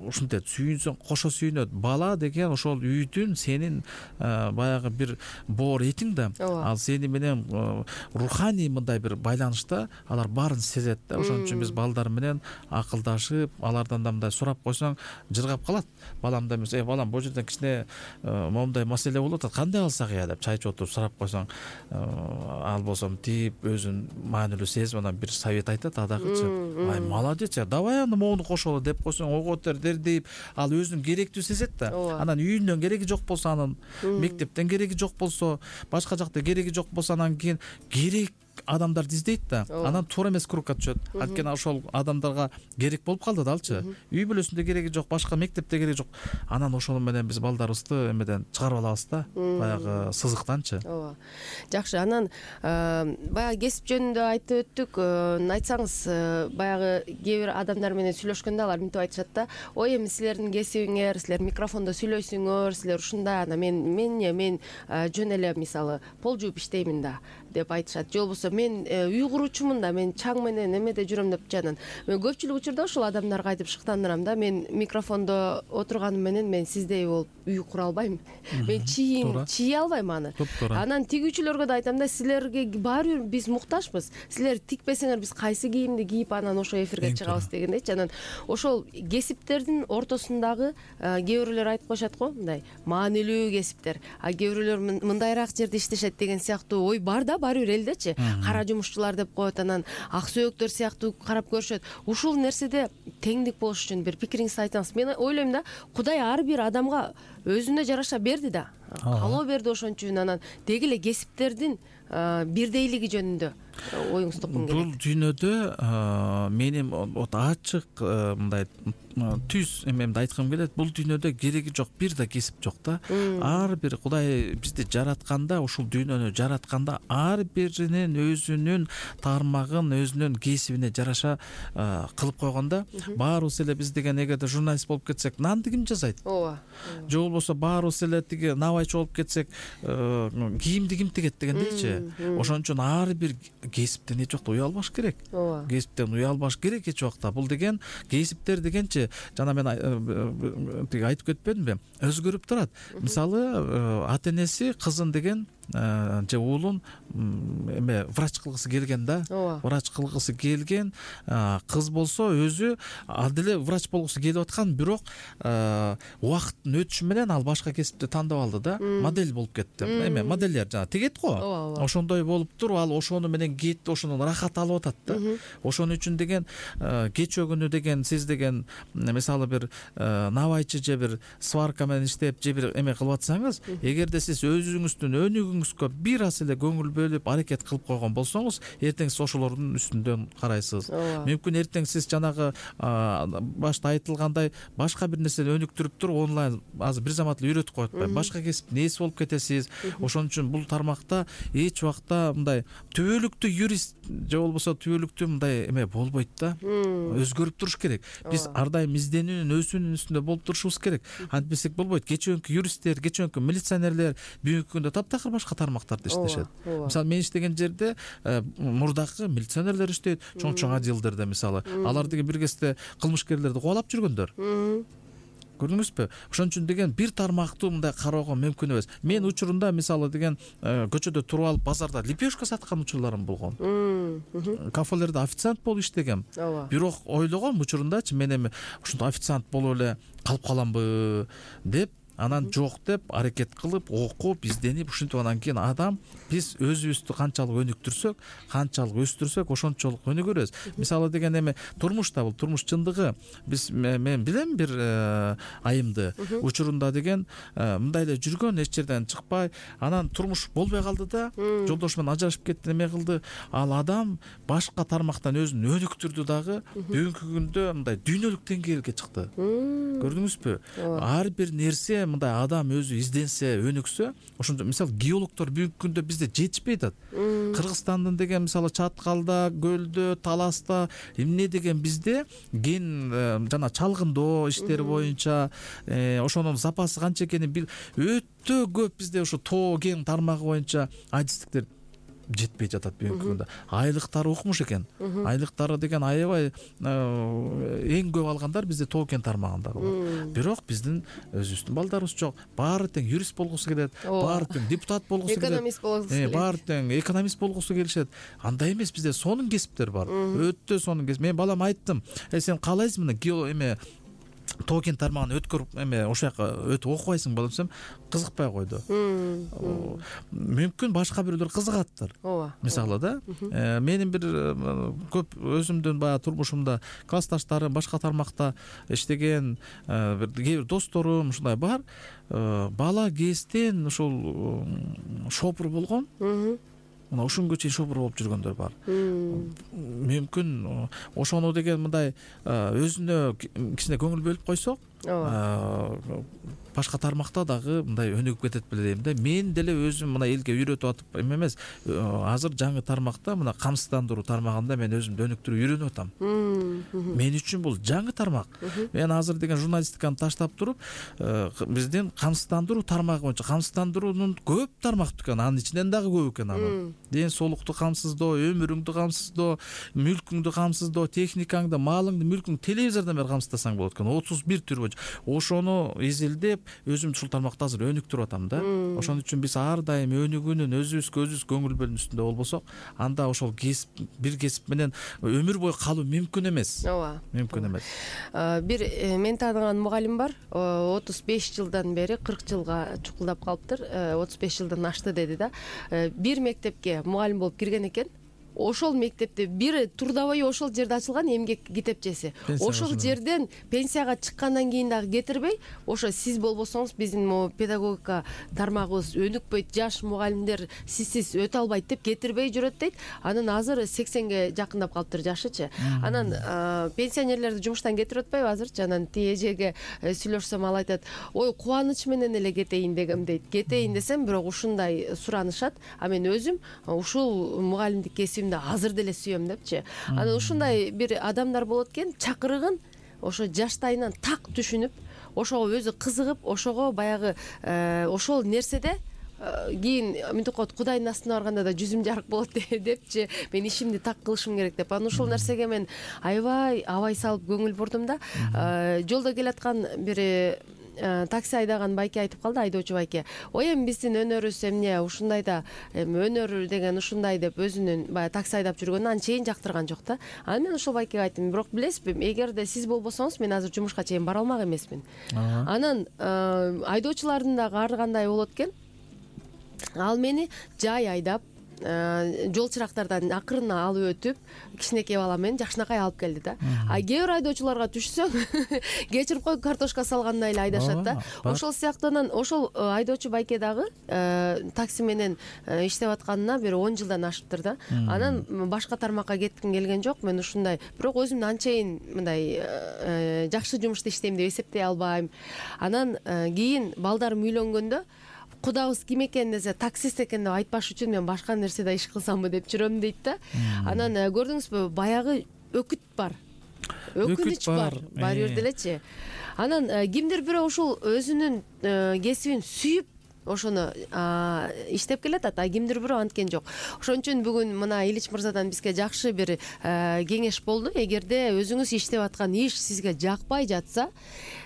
Speaker 3: ушинтет, сүйүнсөң кошо сүйүнөт. Бала деген ошол үйдүн сенин баягы бир боор этиң да. Ал сени менен руханий мындай бир байланышта алар баарын сезет да. Ошон үчүн биз балдар менен акылдашып, алардан да мындай сурап койсоң жыргап калат. Балам да эмес, балам бул жерден кичине момундай маселе болуп атат, кандай алсак деп чайчы отуруп сурап койсоң, ал болсо мынтип өзүн маанилүү сезип анан бир совет айтат, адагычы ай молодец, давай аны моуну кошолу деп койсоң ого бетер дердейип, ал өзүн керектүү сезет да. Анан үйүнөн кереги жок болсо, анын мектептен кереги жок болсо, башка жакта кереги жок болсо, анан кийин керек адамдарды издейт да. Анан туура эмес кругка түшөт. Анткени ошол адамдарга керек болуп калды да алчы. Үй бүлөсүндө кереги жок, башка мектепте кереги жок. Анан ошол менен биз балдарыбызды эмеден чыгарып алабыз да, баягы сызыктанчы.
Speaker 2: Ооба. Жакшы. Анан баягы кесип жөнүндө айтып өттүк. Айтсаңыз, баягы кээ бир адамдар менен сүйлөшкөндө алар мынтип айтышат да: ой, эми силердин кесибиңер, силер микрофондо сүйлөйсүңөр, силер ушундай, анан мен жөн эле мисалы пол жууп иштеймин да деп айтышат. Же болбосо мен үй куруучумун да, мен чаң менен эмеде жүрөм деп жанан. Мен көпчүлүк учурда ошол адамдарга айтып шыктандырам да: мен микрофондо отурганым менен мен сиздей болуп үй кура албайм. Мен чийи албайм аны. Анан тигүүчүлөргө да айтам да: силерге баары бир биз муктажбыз. Силер тикпесеңер биз кайсы кийимди кийип анан ошо эфирге чыгабыз дегендейчи. Анан ошол кесиптердин ортосундагы кээ бирлер айтып коюшат го, мындай маанилүү кесиптер, кээ бирлер мындайраак жерде иштешет деген сыяктуу ой бар да, баары бир элдечи. Кара жумушчулар деп коет, анан ак сөөктөр сыяктуу карап көрүшөт. Ушул нерседе теңдик болуш үчүн бир пикириңизди айтсаңыз. Мен ойлойм да, Кудай ар бир адамга өзүнө жараша берди да, каалоо берди. Ошон үчүн анан деги эле кесиптердин бирдейлиги жөнүндө оюңузду туккум келет.
Speaker 3: Бул дүйнөдө менин ачык мындай түз эмемди айткым келет. Бул дүйнөдө кереги жок бир да кесип жок да. Ар бир Кудай бизди жаратканда, ушул дүйнөнү жаратканда, ар биринин өзүнүн тармагын, өзүнүн кесибине жараша кылып койгондо, баарыбыз эле биз деген эгерде журналист болуп кетсек, нанды ким жасайт? Ооба. Же болбосо баарыбыз эле тиги набайчы болуп кетсек, кийимди ким тигет дегендейчи. Ошон үчүн ар бир кесиптен эч убакта уялбаш керек. Кесиптен уялбаш керек эч убакта. Бул деген кесиптер дегенчи, жана мен тиги айтып кетпедимби, өзгөрүп турат. Мисалы, ата энеси кызын деген же уулун эме врач кылгысы келген да. Врач кылгысы келген кыз болсо өзү ал деле врач болгусу келип аткан, бирок убакыттын өтүшү менен ал башка кесипти тандап алды да. Модель болуп кетти. Эме модельдер жана тегет го. Ошондой болуп туруп ал ошону менен кетти, ошонун рахат алып атат да. Ошон үчүн деген кечээ күнү деген сиз деген мисалы бир набайчы же бир сварка менен иштеп же бир эме кылып атсаңыз, эгерде сиз өзүңүздүн өнүгүүңүзгө бир аз эле көңүл бөлүп аракет кылып койгон болсоңуз, эртең сиз ошолордун үстүндөн карайсыз. Мүмкүн эртең сиз жанагы башта айтылгандай башка бир нерсени өнүктүрүп туруп, онлайн азыр бир замат эле үйрөтүп коюп атпайбы, башка кесиптин ээси болуп кетесиз. Ошон үчүн бул тармакта эч убакта мындай түбөлүктүү юрист же болбосо түбөлүктүү мындай эме болбойт да. Өзгөрүп туруш керек. Биз ар дайым изденүүнүн, өсүүнүн үстүндө болуп турушубуз керек. Антпесек болбойт. Кечээкү юристтер, кечээкү милиционерлер бүгүнкү күндө таптакыр башка тармактарда иштешет. Мисалы мен иштеген жерде мурдакы милиционерлер иштейт, чоң отделдерде мисалы. Алар деген бир кезде кылмышкерлерди кубалап жүргөндөр. Көрдүңүзбү? Ошон үчүн деген бир тармактуу мындай кароого мүмкүн эмес. Мен учурунда мисалы деген көчөдө туруп алып базарда лепешка саткан учурларым болгон. Кафелерде официант болуп иштегем. Бирок ойлогом учурундачы мен эми ушундай официант болуп эле калып каламбы деп, анан жок деп аракет кылып, окуп, изденип, ушинтип анан кийин адам биз өзүбүздү канчалык өнүктүрсөк, канчалык өстүрсөк, ошончолук өнүгөрбүз. Мисалы деген эми турмушта бул турмуш чындыгы. Мен билем бир айымды учурунда деген мындай эле жүргөн, эч жерден чыкпай, анан турмуш болбой калды да, жолдошу менен ажырашып кетти, эме кылды. Ал адам башка тармактан өзүн өнүктүрдү дагы, бүгүнкү күндө мындай дүйнөлүк деңгээлге чыкты. Көрдүңүзбү? Ар бир нерсе мындай адам өзү изденсе, өнүксө, ошондо мисалы геологдор бүгүнкү күндө бизде жетишпей атат. Кыргызстандын деген мисалы Чаткалда, Көлдө, Таласта эмне деген бизде ген жана чалгындоо иштери боюнча ошонун запасы канча экенин өтө көп бизде ошо тоо кен тармагы боюнча адистиктер жетпей жатат бүгүнкү күндө. Айлыктары укмуш экен. Айлыктары деген аябай эң көп алгандар бизде тоо кен тармагындагы. Бирок биздин өзүбүздүн балдарыбыз жок. Баары тең юрист болгусу келет, баары тең депутат болгусу келет, экономист болгусу келет. Баары тең экономист болгусу келишет. Андай эмес, бизде сонун кесиптер бар. Өтө сонун кесип. Мен балам айттым, сен каалайсың эме тоо кен тармагын өткөрүп эме ошол жака өтүп окубайсың балам десем, кызыкпай койду. Мүмкүн башка бирөөлөр кызыгаттыр. Мисалы да, менин бир көп өзүмдүн баягы турмушумда классташтарым башка тармакта иштеген бир досторум ушундай бар. Бала кезден ушул шопур болгон. Мына ушунга чейин шопур болуп жүргөндөр бар. Мүмкүн ошону деген мындай өзүнө кичине көңүл бөлүп койсок, башка тармакта дагы мындай өнүгүп кетет беле дейм да. Мен деле өзүм мына элге үйрөтүп атып эмес, азыр жаңы тармакта мына камсыздандыруу тармагында мен өзүмдү өнүктүрүп үйрөнүп атам. Мен үчүн бул жаңы тармак. Мен азыр деген журналистиканы таштап туруп, биздин камсыздандыруу тармагы боюнча, камсыздандыруунун көп тармактуу экен, анын ичинен дагы көп экен анын. Ден соолукту камсыздоо, өмүрүңдү камсыздоо, мүлкүңдү камсыздоо, техникаңды, малыңды, мүлкүңдү телевизордон бери камсыздасаң болот экен. 31 түр боюнча. Ошону изилдеп, өзүмдү ушул тармакта азыр өнүктүрүп атам да. Ошон үчүн биз ар дайым өнүгүүнүн өзүбүз көңүл бөлүүнүн үстүндө болбосок, анда ошол кесип, бир кесип менен өмүр бою калуу мүмкүн эмес. Мүмкүн эмес.
Speaker 2: Бир мен тааныган мугалим бар. 35 жылдан бери 40 жылга чукулдап калыптыр. 35 жылдан ашты деди да. Бир мектепке мугалим болуп кирген экен. Ошол мектепте бир Турдабай ошол жерде ачылган эмгек китепчеси. Ошол жерден пенсияга чыккандан кийин дагы кетирбей, ошо сиз болбосоңуз биздин могу педагогика тармагыбыз өнүкпөйт, жаш мугалимдер сизсиз өтө албайт деп кетирбей жүрөт дейт. Анан азыр 80ге жакындап калыптыр жашычы. Анан пенсионерлерди жумуштан кетирип атпайбы азырчы? Анан тие эжеге сүйлөшсөм ал айтат: "Ой, кубаныч менен эле кетейин дегем" дейт. Кетейин десем, бирок ушундай суранышат. А мен өзүм ушул мугалимдик кесибимди азыр деле сүйөм депчи. Анан ушундай бир адамдар болот экен, чакырыгын ошо жаштайынан так түшүнүп, ошого өзү кызыгып, ошого баягы ошол нерседе кийин мынтип коет, Кудайдын астына барганда да жүзүм жарык болот депчи, мен ишимди так кылышым керек деп. Анан ушул нерсеге мен аябай абай салып көңүл бурдум да. Жолдо келаткан бир такси айдаган байке айтып калды, айдоочу байке. Ой, эми биздин өнөрүбүз эмне ушундай да, эми өнөр деген ушундай деп өзүнүн баягы такси айдап жүргөнүн анчейин жактырган жок да. Анан мен ошол байкеге айттым, бирок билесизби, эгерде сиз болбосоңуз мен азыр жумушка чейин бара алмак эмесмин. Анан айдоочулардын дагы ар кандай болот экен. Ал мени жай айдап, жол чырактардан акырын алып өтүп, кичинекей бала менен жакшынакай алып келди да. А кээ бир айдоочуларга түшсөң, кечирип кой, картошка салгандай эле айдашат да. Ошол сыяктуу ошол айдоочу байке дагы такси менен иштеп атканына бир 10 жылдан ашыптыр да. Анан башка тармакка кетким келген жок. Мен ушундай, бирок өзүмдү анчейин мындай жакшы жумушта иштейм деп эсептей албайм. Анан кийин балдарым үйлөнгөндө кудабыз ким экен десе, таксист экен деп айтпаш үчүн мен башка нерседе иш кылсамбы деп жүрөм дейт да. Анан көрдүңүзбү, баягы өкүт бар, өкүнүч бар баары бир делечи. Анан кимдир бирөө ушул өзүнүн кесибин сүйүп ошону иштеп келатат, а кимдир бирөө анткен жок. Ошон үчүн бүгүн мына Ильич мырзадан бизге жакшы бир кеңеш болду. Эгерде өзүңүз иштеп аткан иш сизге жакпай жатса,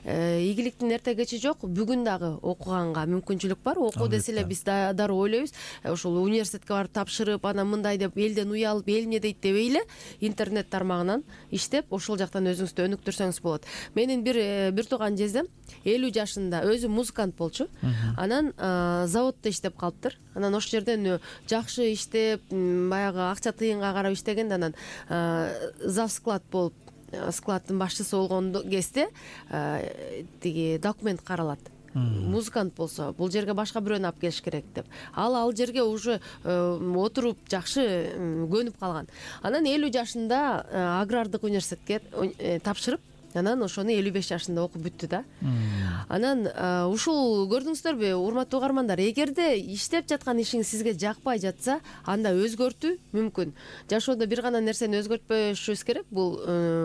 Speaker 2: ийгиликтин эрте кечи жок, бүгүн дагы окуганга мүмкүнчүлүк бар. Окуу десе эле биз дароо ойлойбуз, ошол университетке барып тапшырып, анан мындай деп элден уялып, эл эмне дейт дебей эле интернет тармагынан иштеп, ошол жактан өзүңүздү өнүктүрсөңүз болот. Менин бир тууган жездем 50 жашында, өзү музыкант болчу. Анан заводдо иштеп калыптыр. Анан ошол жерден жакшы иштеп, баягы акча тыйынга карап иштеген, анан завсклад болуп, складдын башчысы болгон кезде тиги документ каралат. Музыкант болсо, бул жерге башка бирөөнү алып келиш керек деп. Ал жерге уже отуруп жакшы көнүп калган. Анан 50 жашында агрардык университетке тапшырып, анан ошону 55 жашында окуп бүттү да. Анан ушул көрдүңүздөрбү, урматтуу угармандар, эгерде иштеп жаткан ишиңиз сизге жакпай жатса, анда өзгөртүү мүмкүн. Жашоодо бир гана нерсени өзгөртпөшүбүз керек. Бул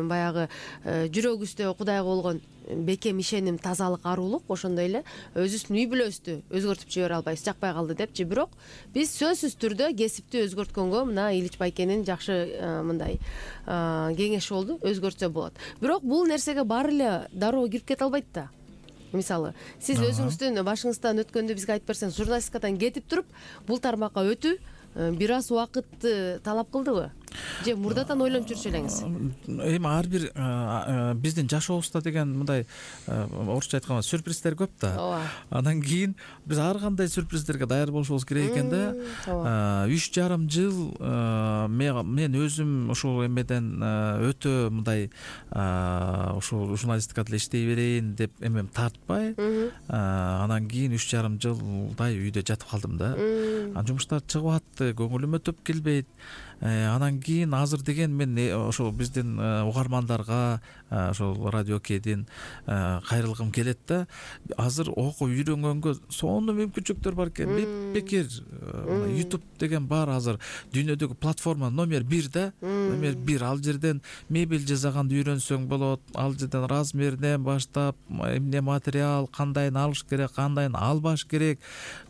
Speaker 2: баягы жүрөгүбүздө Кудайга болгон бекем ишеним, тазалык, арулук, ошондой эле өзүбүздүн үй бүлөбүздү өзгөртүп жибере албайбыз, жакпай калды депчи. Бирок биз сөзсүз түрдө кесипти өзгөрткөнгө мына Ильич байкенин жакшы мындай кеңеши болду, өзгөртсө болот. Бирок бул нерсеге баары эле дароо кирип кете албайт да. Мисалы, сиз өзүңүздүн башыңыздан өткөндө бизге айтып берсеңиз, журналистикадан кетип туруп, бул тармакка өтүү бир аз убакытты талап кылдыбы? Же мурдатан ойлонуп жүрчү элеңиз?
Speaker 3: Эми ар бир биздин жашообузда деген мындай орусча айтканда сюрприздер көп да. Андан кийин биз ар кандай сюрприздерге даяр болушубуз керек экен да. 3,5 жыл мен өзүм ушул эмеден өтө мындай ушул журналистикада иштей берейин деп эмем тартпай, анан кийин 3,5 жылдай үйдө жатып калдым да. Жумуштар чыгып атты, көңүлүмө төп келбейт. Анан кийин азыр деген мен ошол биздин угармандарга, ошол радио Кедин кайрылгым келет да. Азыр окуп үйрөнгөнгө сонун мүмкүнчүлүктөр бар экен. Бекер YouTube деген бар азыр дүйнөдөгү платформа номер 1 да. Номер 1. Ал жерден мебель жасаганды үйрөнсөң болот. Ал жерден размеринен баштап, эмне материал, кандайын алыш керек, кандайын албаш керек,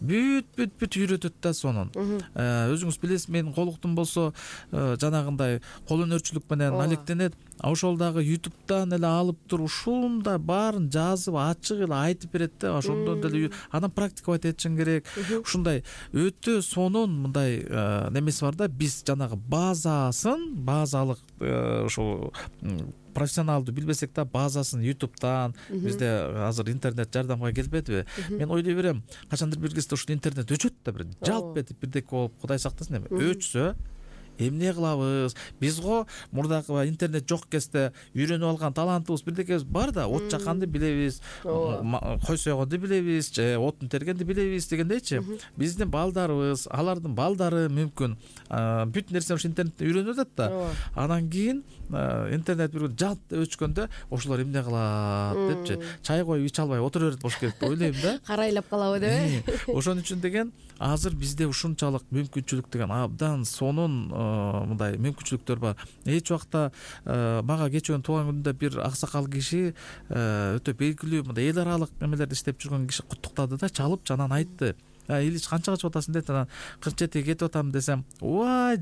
Speaker 3: бүт үйрөтөт да сонун. Өзүңүз билесиз, менин колуктум болсо жанагындай кол өнөрчүлүк менен алектенет. Ошол дагы YouTube'дан эле алып туруп ушундай баарын жазып, ачык эле айтып берет да. Ошондон деле анан практиковать этишиң керек. Ушундай өтө сонун мындай немеси бар да. Биз жанагы базалык ошол профессионалдуу билбесек да, базасын YouTube'дан, бизде азыр интернет жардамга келбедиби? Мен ойлой берем, качандыр бир кезде ушул интернет өчөт да, бир жалп этип бирдеке болуп, Кудай сактасын эми. Өчсө эмне кылабыз? Биз го мурдагы интернет жок кезде үйрөнүп алган талантыбыз бирдекебиз бар да, от жакканды билебиз, кой сойгонду билебиз, же отун тергенди билебиз дегендейчи. Биздин балдарыбыз, алардын балдары мүмкүн бүт нерсени ушу интернеттен үйрөнүп атат да. Анан кийин интернет бир жалп өчкөндө ошолор эмне кылат депчи, чай коюп иче албай отура берет болуш керек деп ойлойм да.
Speaker 2: Карайлап калабы деп.
Speaker 3: Ошон үчүн деген азыр бизде ушунчалык мүмкүнчүлүк деген абдан сонун мындай мүмкүнчүлүктөр бар. Эч убакта мага кечүүн туулган күндө бир аксакал киши өтө белгилүү мындай эл аралык эмелерде иштеп жүргөн киши куттуктады да, чалып, анан айтты: Ильич канчага чыгып атасың дейт. Анан 47 кетип атам десем, ой,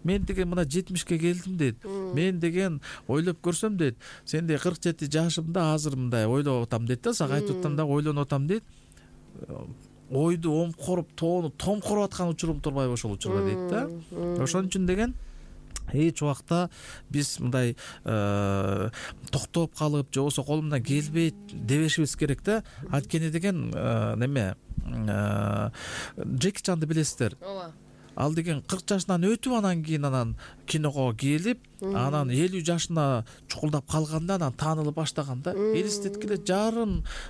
Speaker 3: мен деген мына 70-ке келдим дейт. Мен деген ойлоп көрсөм дейт, сендей 47 жашымда азыр мындай ойлоп атам дейт да, сага айтып атам да, ойлонуп атам дейт. Ойду омкоруп, тоону томкоруп аткан учурум турбайбы ошол учурда дейт да. Ошон үчүн деген эч убакта биз мындай токтоп калып, же болбосо колумдан келбейт дебешибиз керек да. Анткени деген неме Джеки Чанды билесиздер.
Speaker 2: ооба.
Speaker 3: Ал деген 40 жашынан өтүп анан кийин анан киного келип, анан 50 жашына чукулдап калганда анан таанылып баштаган да. Элестеткиле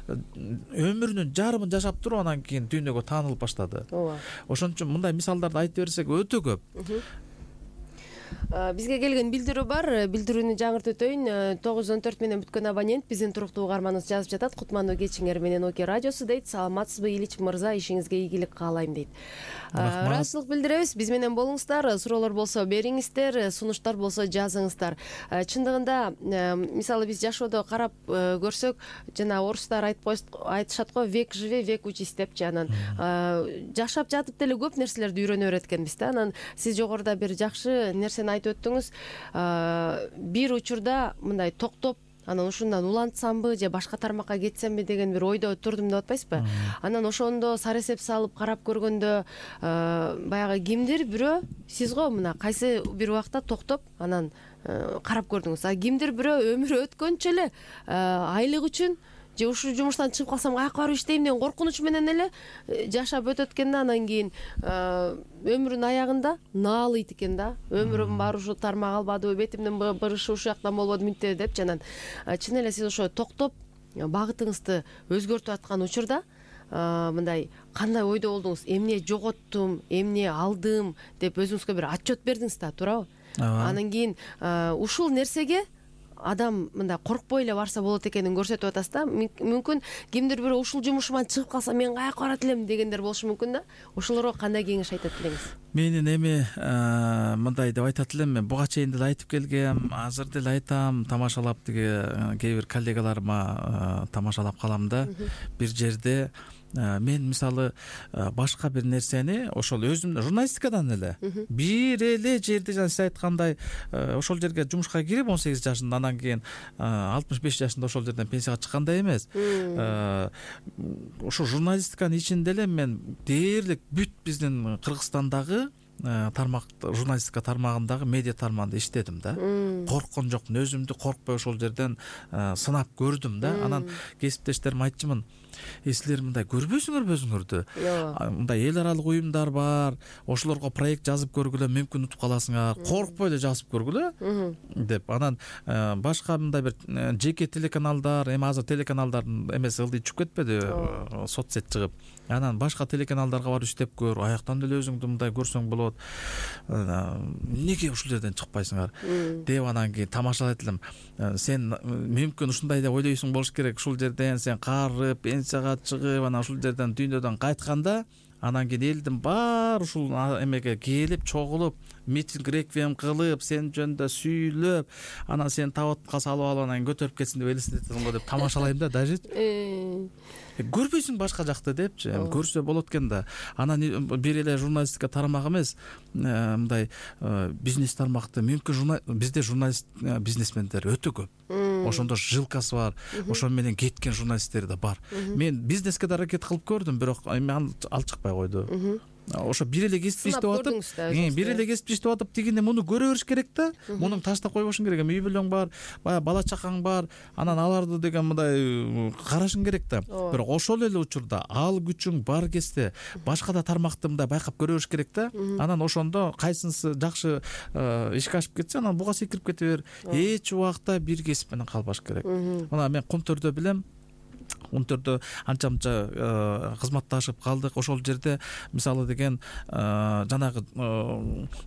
Speaker 3: өмүрүнүн жарымын жашап туруп анан кийин дүйнөгө таанылып баштады.
Speaker 2: Ооба.
Speaker 3: Ошон үчүн мындай мисалдарды айтып берсек өтө көп.
Speaker 2: Бизге келген билдирүү бар. Билдирүүнү жаңыртып өтөйүн. 914 менен бүткөн абонент биздин туруктуу угарманыбыз жазып жатат. Кутмандуу кечиңер менен Оке радиосу дейт. Саламатсызбы Ильич мырза, ишиңизге ийгилик каалайм дейт. Ыраазычылык билдиребиз. Биз менен болуңуздар. Суроолор болсо бериңиздер, сунуштар болсо жазыңыздар. Чындыгында мисалы биз жашоодо карап көрсөк, жана орустар айтышат го, век живи, век учись депчи. Анан жашап жатып деле көп нерселерди үйрөнө берет экенбиз да. Анан сиз жогоруда бир жакшы нерсени айтып өттүңүз. Бир учурда мындай токтоп, анан ушундан улантсамбы же башка тармакка кетсемби деген бир ойдо турдум деп атпайсызбы? Анан ошондо сары эсеп салып карап көргөндө баягы кимдир бирөө, сиз го мына кайсы бир убакта токтоп анан карап көрдүңүз. А кимдир бирөө өмүрү өткөнчө эле айлык үчүн же ушул жумуштан чыгып калсам каяка барып иштейм деген коркунуч менен эле жашап өтөт экен да. Анан кийин өмүрүнүн аягында наалыйт экен да. Өмүрүм бар, ушу тармак албадыбы, бетимдин бырышы ушул жактан болбоду мынтип депчи. Анан чын эле сиз ошо токтоп багытыңызды өзгөртүп аткан учурда мындай кандай ойдо болдуңуз? Эмне жоготтум, эмне алдым деп өзүңүзгө бир отчет бердиңиз да, туурабы? Анан кийин ушул нерсеге адам мындай коркпой эле барса болот экенин көрсөтүп атасыз да. Мүмкүн кимдир бирөө ушул жумушуман чыгып калса мен каяка барат элем дегендер болушу мүмкүн да. Ошолорго кандай кеңеш айтат элеңиз?
Speaker 3: Менин эми мындай деп айтат элем, мен буга чейин деле айтып келгем, азыр деле айтам, тамашалап кээ бир коллегаларыма тамашалап калам да. Бир жерде мен мисалы башка бир нерсени ошол өзүм журналистикадан эле бир эле жерде жана сиз айткандай ошол жерге жумушка кирип 18 жашында, анан кийин 65 жашында ошол жерден пенсияга чыккандай эмес. Ошо журналистиканын ичинде эле мен дээрлик бүт биздин Кыргызстандагы тармак, журналистика тармагындагы медиа тармагында иштедим да. Корккон жокмун, өзүмдү коркпой ошол жерден сынап көрдүм да. Анан кесиптештериме айтчумун, силер мындай көрбөйсүңөрбү өзүңөрдү? Мындай эл аралык уюмдар бар, ошолорго проект жазып көргүлө, мүмкүн утуп каласыңар, коркпой эле жазып көргүлө деп. Анан башка мындай бир жеке телеканалдар, эми азыр телеканалдардын эмеси ылдый чүгүп кетпеди, соцсет чыгып. Анан башка телеканалдарга барып иштеп көр, аяктан деле өзүңдү мындай көрсөң болот. Эмнеге ушул жерден чыкпайсыңар деп анан кийин тамашалайт элем. Сен мүмкүн ушундай деп ойлойсуң болуш керек, ушул жерден сен карып, пенсияга чыгып, анан ушул жерден дүйнөдөн кайтканда, анан кийин элдин баары ушул эмеге келип, чогулуп, митинг, реквием кылып, сен жөнүндө сүйлөп, анан сен табытка салып алып анан көтөрүп кетсин деп элестетесиң го деп тамашалайм да дажи. Көрбөйсүң башка жакты депчи, көрсө болот экен да. Анан бир эле журналистика тармак эмес, мындай бизнес тармакты мүмкүн бизде журналист бизнесмендер өтө көп. Ошондо жилкасы бар, ошон менен кеткен журналисттер да бар. Мен бизнеске да аракет кылып көрдүм, бирок эми ал чыкпай койду. Ошо бир эле кесипти иштеп атып, бир эле кесипти иштеп атып, тигине муну көрө бериш керек да. Муну таштап койбошуң керек. Үй бүлөң бар, баягы бала чакаң бар, анан аларды деген мындай карашың керек да. Бирок ошол эле учурда ал күчүң бар кезде башка да тармакты мындай байкап көрө бериш керек да. Анан ошондо кайсынысы жакшы ишке ашып кетсе, анан буга секирип кете бер. Эч убакта бир кесип менен калбаш керек. Мына мен Кумтөрдө билем, Кумтөрдө анча-мынча кызматташып калдык. Ошол жерде мисалы деген жанагы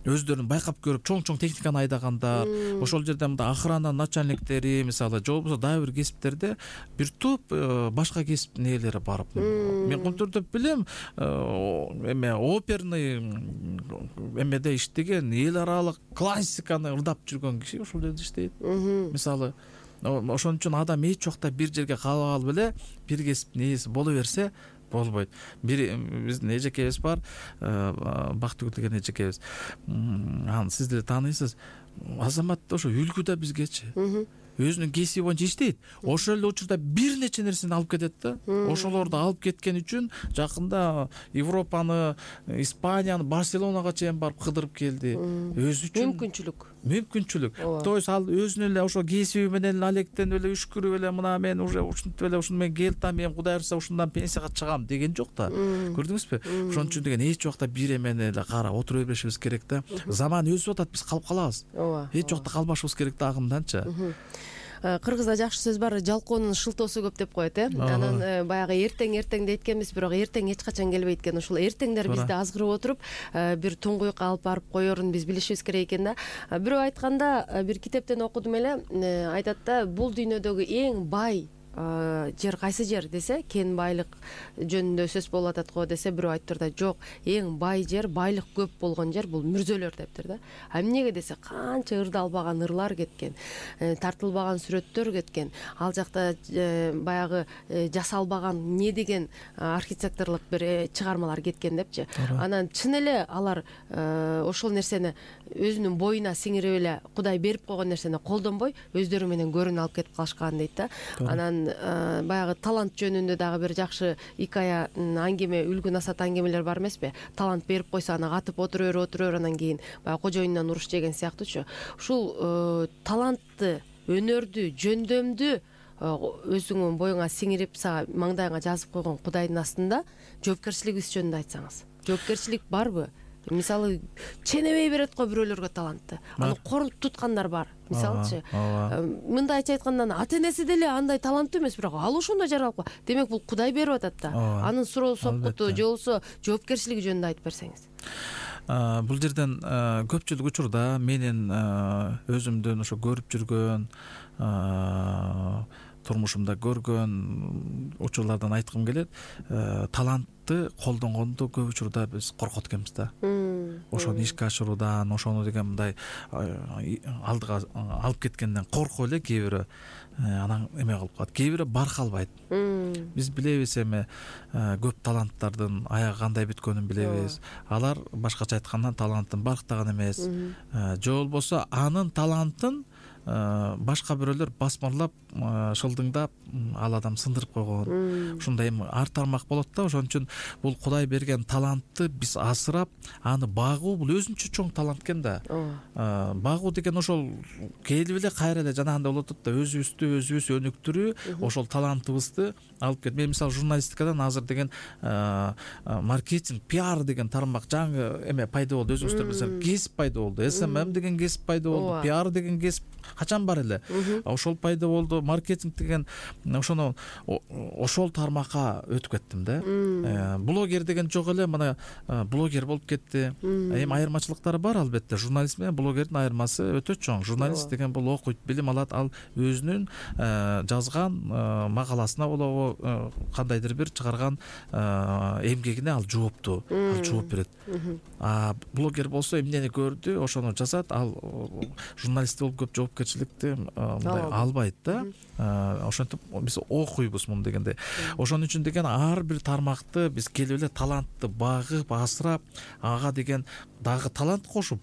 Speaker 3: өздөрүн байкап көрүп чоң техниканы айдагандар, ошол жерде мындай охрана начальниктери мисалы, же болбосо дагы бир кесиптерде бир топ башка кесиптин ээлери барып. Мен Кумтөрдө билем, эме оперный эмеде иштеген, эл аралык классиканы ырдап жүргөн киши ошол жерде иштейт. Мисалы ошон үчүн адам эч убакта бир жерге калып алып эле бир кесиптин ээси боло берсе, болбойт. Биздин эжекебиз бар, Бактыгүл деген эжекебиз. Аны сиз деле тааныйсыз. Азамат ошо үлгү да бизгечи. Өзүнүн кесиби боюнча иштейт. Ошол эле учурда бир нече нерсени алып кетет да. Ошолорду алып кеткен үчүн жакында Европаны, Испанияны, Барселонага чейин барып кыдырып келди. Өзү үчүн мүмкүнчүлүк. То есть ал өзүнүн эле ошо кесиби менен алектенип эле үшкүрүп эле мына мен уже ушинтип эле ушуну мен келтам, мен Кудай буюрса ушундан пенсияга чыгам деген жок да. Көрдүңүзбү? Ошон үчүн деген эч убакта бир эмени эле карап отура бербешибиз керек да. Заман өсүп атат, биз калып калабыз. Эч убакта калбашыбыз керек да агымданчы.
Speaker 2: Кыргызда жакшы сөз бар, жалкоонун шылтоосу көп деп коет, Анан баягы эртең дейткенбиз, бирок эртең эч качан келбейт экен. Ушул эртеңдер бизди азгырып отуруп, бир туңгуюкка алып барып коерун биз билишибиз керек экен да. Бирөө айтканда, бир китептен окудум эле, айтат да, бул дүйнөдөгү эң бай жер кайсы жер десе, кен байлык жөнүндө сөз болуп атат го десе, бирөө айтыптыр да, жок, эң бай жер, байлык көп болгон жер бул мүрзөлөр дептир да. Эмнеге десе, канча ырдалбаган ырлар кеткен, тартылбаган сүрөттөр кеткен, ал жакта баягы жасалбаган не деген архитекторлук бир чыгармалар кеткен депчи. Анан чын эле алар ошол нерсени өзүнүн боюна сиңирип эле Кудай берип койгон нерсени колдонбой, өздөрү менен көрүн алып кетип калышкан дейт да. Анан баягы талант жөнүндө дагы бир жакшы икая, аңгеме, үлгү насаат аңгемелер бар эмеспи? Талант берип койсо аны катып отура бер, анан кийин баягы кожоюндан уруш жеген сыяктуучу. Ушул талантты, өнөрдү, жөндөмдү өзүңүн боюңа сиңирип, сага маңдайыңа жазып койгон Кудайдын астында жоопкерчилигиңиз жөнүндө айтсаңыз. Жоопкерчилик барбы? Мисалы, ченебей берет го бирөөлөргө талантты. Аны корутуп туткандар бар. Мисалычы, мындайча айтканда, ата-энеси деле андай таланттуу эмес, бирок ал ошондой жаралып. Демек бул Кудай берип атат да. Анын суроо сопкуту же болбосо жоопкерчилиги жөнүндө айтып берсеңиз.
Speaker 3: Бул жерден көпчүлүк учурда менин өзүмдөн ошо көрүп жүргөн, турмушумда көргөн учурлардан айткым келет. Талантты колдонгондо көп учурда биз коркот экенбиз да. Ошону ишке ашыруудан, ошону деген мындай алдыга алып кеткенден коркуп эле кээ бирөө анан эме кылып калат. Кээ бирөө баркалбайт. Биз билебиз эми көп таланттардын аягы кандай бүткөнүн билебиз. Алар башкача айтканда талантын барктаган эмес. Же болбосо анын талантын башка бирөөлөр басмырлап, шылдыңдап, ал адам сындырып койгон. Ушундай ар тармак болот да. Ошон үчүн бул Кудай берген талантты биз асырап, аны багуу бул өзүнчө чоң талант экен да. Багуу деген ошол келип эле кайра эле жанагындай болуп атат да, өзүбүз өнүктүрүү, ошол талантыбызды алып келип. Мен мисалы журналистикадан азыр деген маркетинг, пиар деген тармак жаңы эме пайда болду. Өзүңүздөр билсеңиз, кесип пайда болду. SMM деген кесип пайда болду. Пиар деген кесип качан бар эле. Ошол пайда болду. Маркетинг деген ошону ошол тармакка өтүп кеттим да. Блогер деген жок эле, мына блогер болуп кетти. Эми айырмачылыктары бар албетте. Журналист менен блогердин айырмасы өтө чоң. Журналист деген бул окуйт, билим алат, ал өзүнүн жазган макаласына болобу, кандайдыр бир чыгарган эмгегине ал жооптуу, ал жооп берет. Блогер болсо эмнени көрдү, ошону жазат. Ал журналист болуп көп жоопкерчиликти мындай албайт да. Ошентип биз окуйбуз муну дегенде. Ошон үчүн деген ар бир тармакты биз келип эле талантты багып, асырап, ага деген дагы талант кошуп,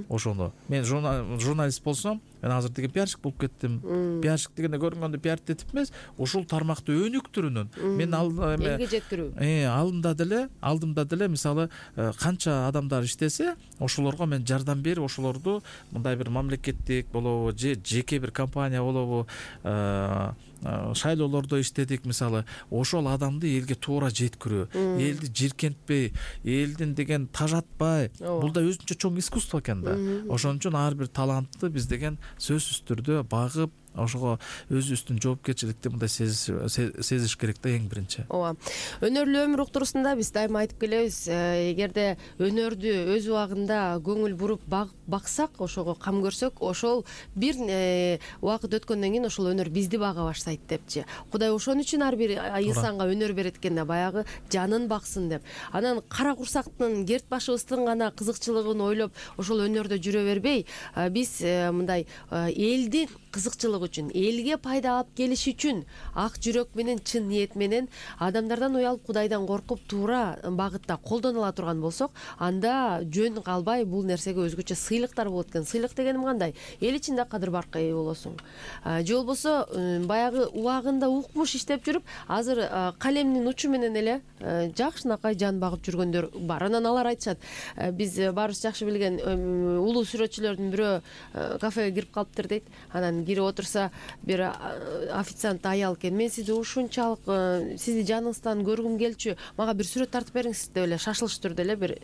Speaker 3: ошону. Мен журналист болсом, мен азыр деген пиарщик болуп кеттим. Пиарщик дегенде көрүнгөндө пиарщик эмес, ушул тармакты өнүктүрүүнүн. Мен
Speaker 2: элге жеткирүү.
Speaker 3: Алдымда деле мисалы канча адамдар иштесе, ошолорго мен жардам берип, ошолорду мындай бир мамлекеттик болобу, же жеке бир компания болобу, шайлоолордо иштедик мисалы. Ошол адамды элге туура жеткирүү, элди жиркентпей, элдин деген тажатпай, бул да өзүнчө чоң искусство экен да. Ошон үчүн ар бир талантты биз деген сөзсүз түрдө багып, ошого өзүбүздүн жоопкерчиликти мындай сезиш керек да, эң биринчи.
Speaker 2: Ооба. Өнөрлүү өмүр уктуруусунда биз дайыма айтып келебиз, эгерде өнөрдү өз убагында көңүл буруп баксак, ошого кам көрсөк, ошол бир убакыт өткөндөн кийин ошол өнөр бизди бага баштайт депчи. Кудай ошон үчүн ар бир инсанга өнөр берет экен да, баягы жанын баксын деп. Анан кара курсактын, керт башыбыздын гана кызыкчылыгын ойлоп, ошол өнөрдө жүрө бербей, биз мындай элдин кызыкчылыгы үчүн, элге пайда алып келиш үчүн ак жүрөк менен, чын ниет менен, адамдардан уялып Кудайдан коркуп туура багытта колдонула турган болсок, анда жөн калбай бул нерсеге өзгөчө сыйлыктар болот экен. Сыйлык дегеним кандай? Эл ичинде кадыр баркка ээ болосуң. Же болбосо баягы убагында укмуш иштеп жүрүп, азыр калемдин учу менен эле жакшынакай жан багып жүргөндөр бар. Анан алар айтышат, биз баарыбыз жакшы билген улуу сүрөтчүлөрдүн бирөө кафеге кирип калыптыр дейт. Анан кирип отурса, бир официант аял экен. Мен сизди ушунчалык сизди жаныңыздан көргүм келчү, мага бир сүрөт тартып бериңиз деп эле шашылыш түрдө эле бир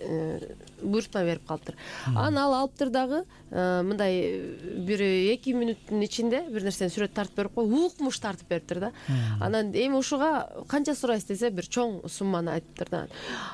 Speaker 2: буйрутма берип калыптыр. Анан ал алыптыр дагы мындай бир 2 мүнөттүн ичинде бир нерсени сүрөт тартып берип коюп, укмуш тартып бериптир да. Анан эми ушуга канча сурайсыз десе, бир чоң сумманы айтыптыр да.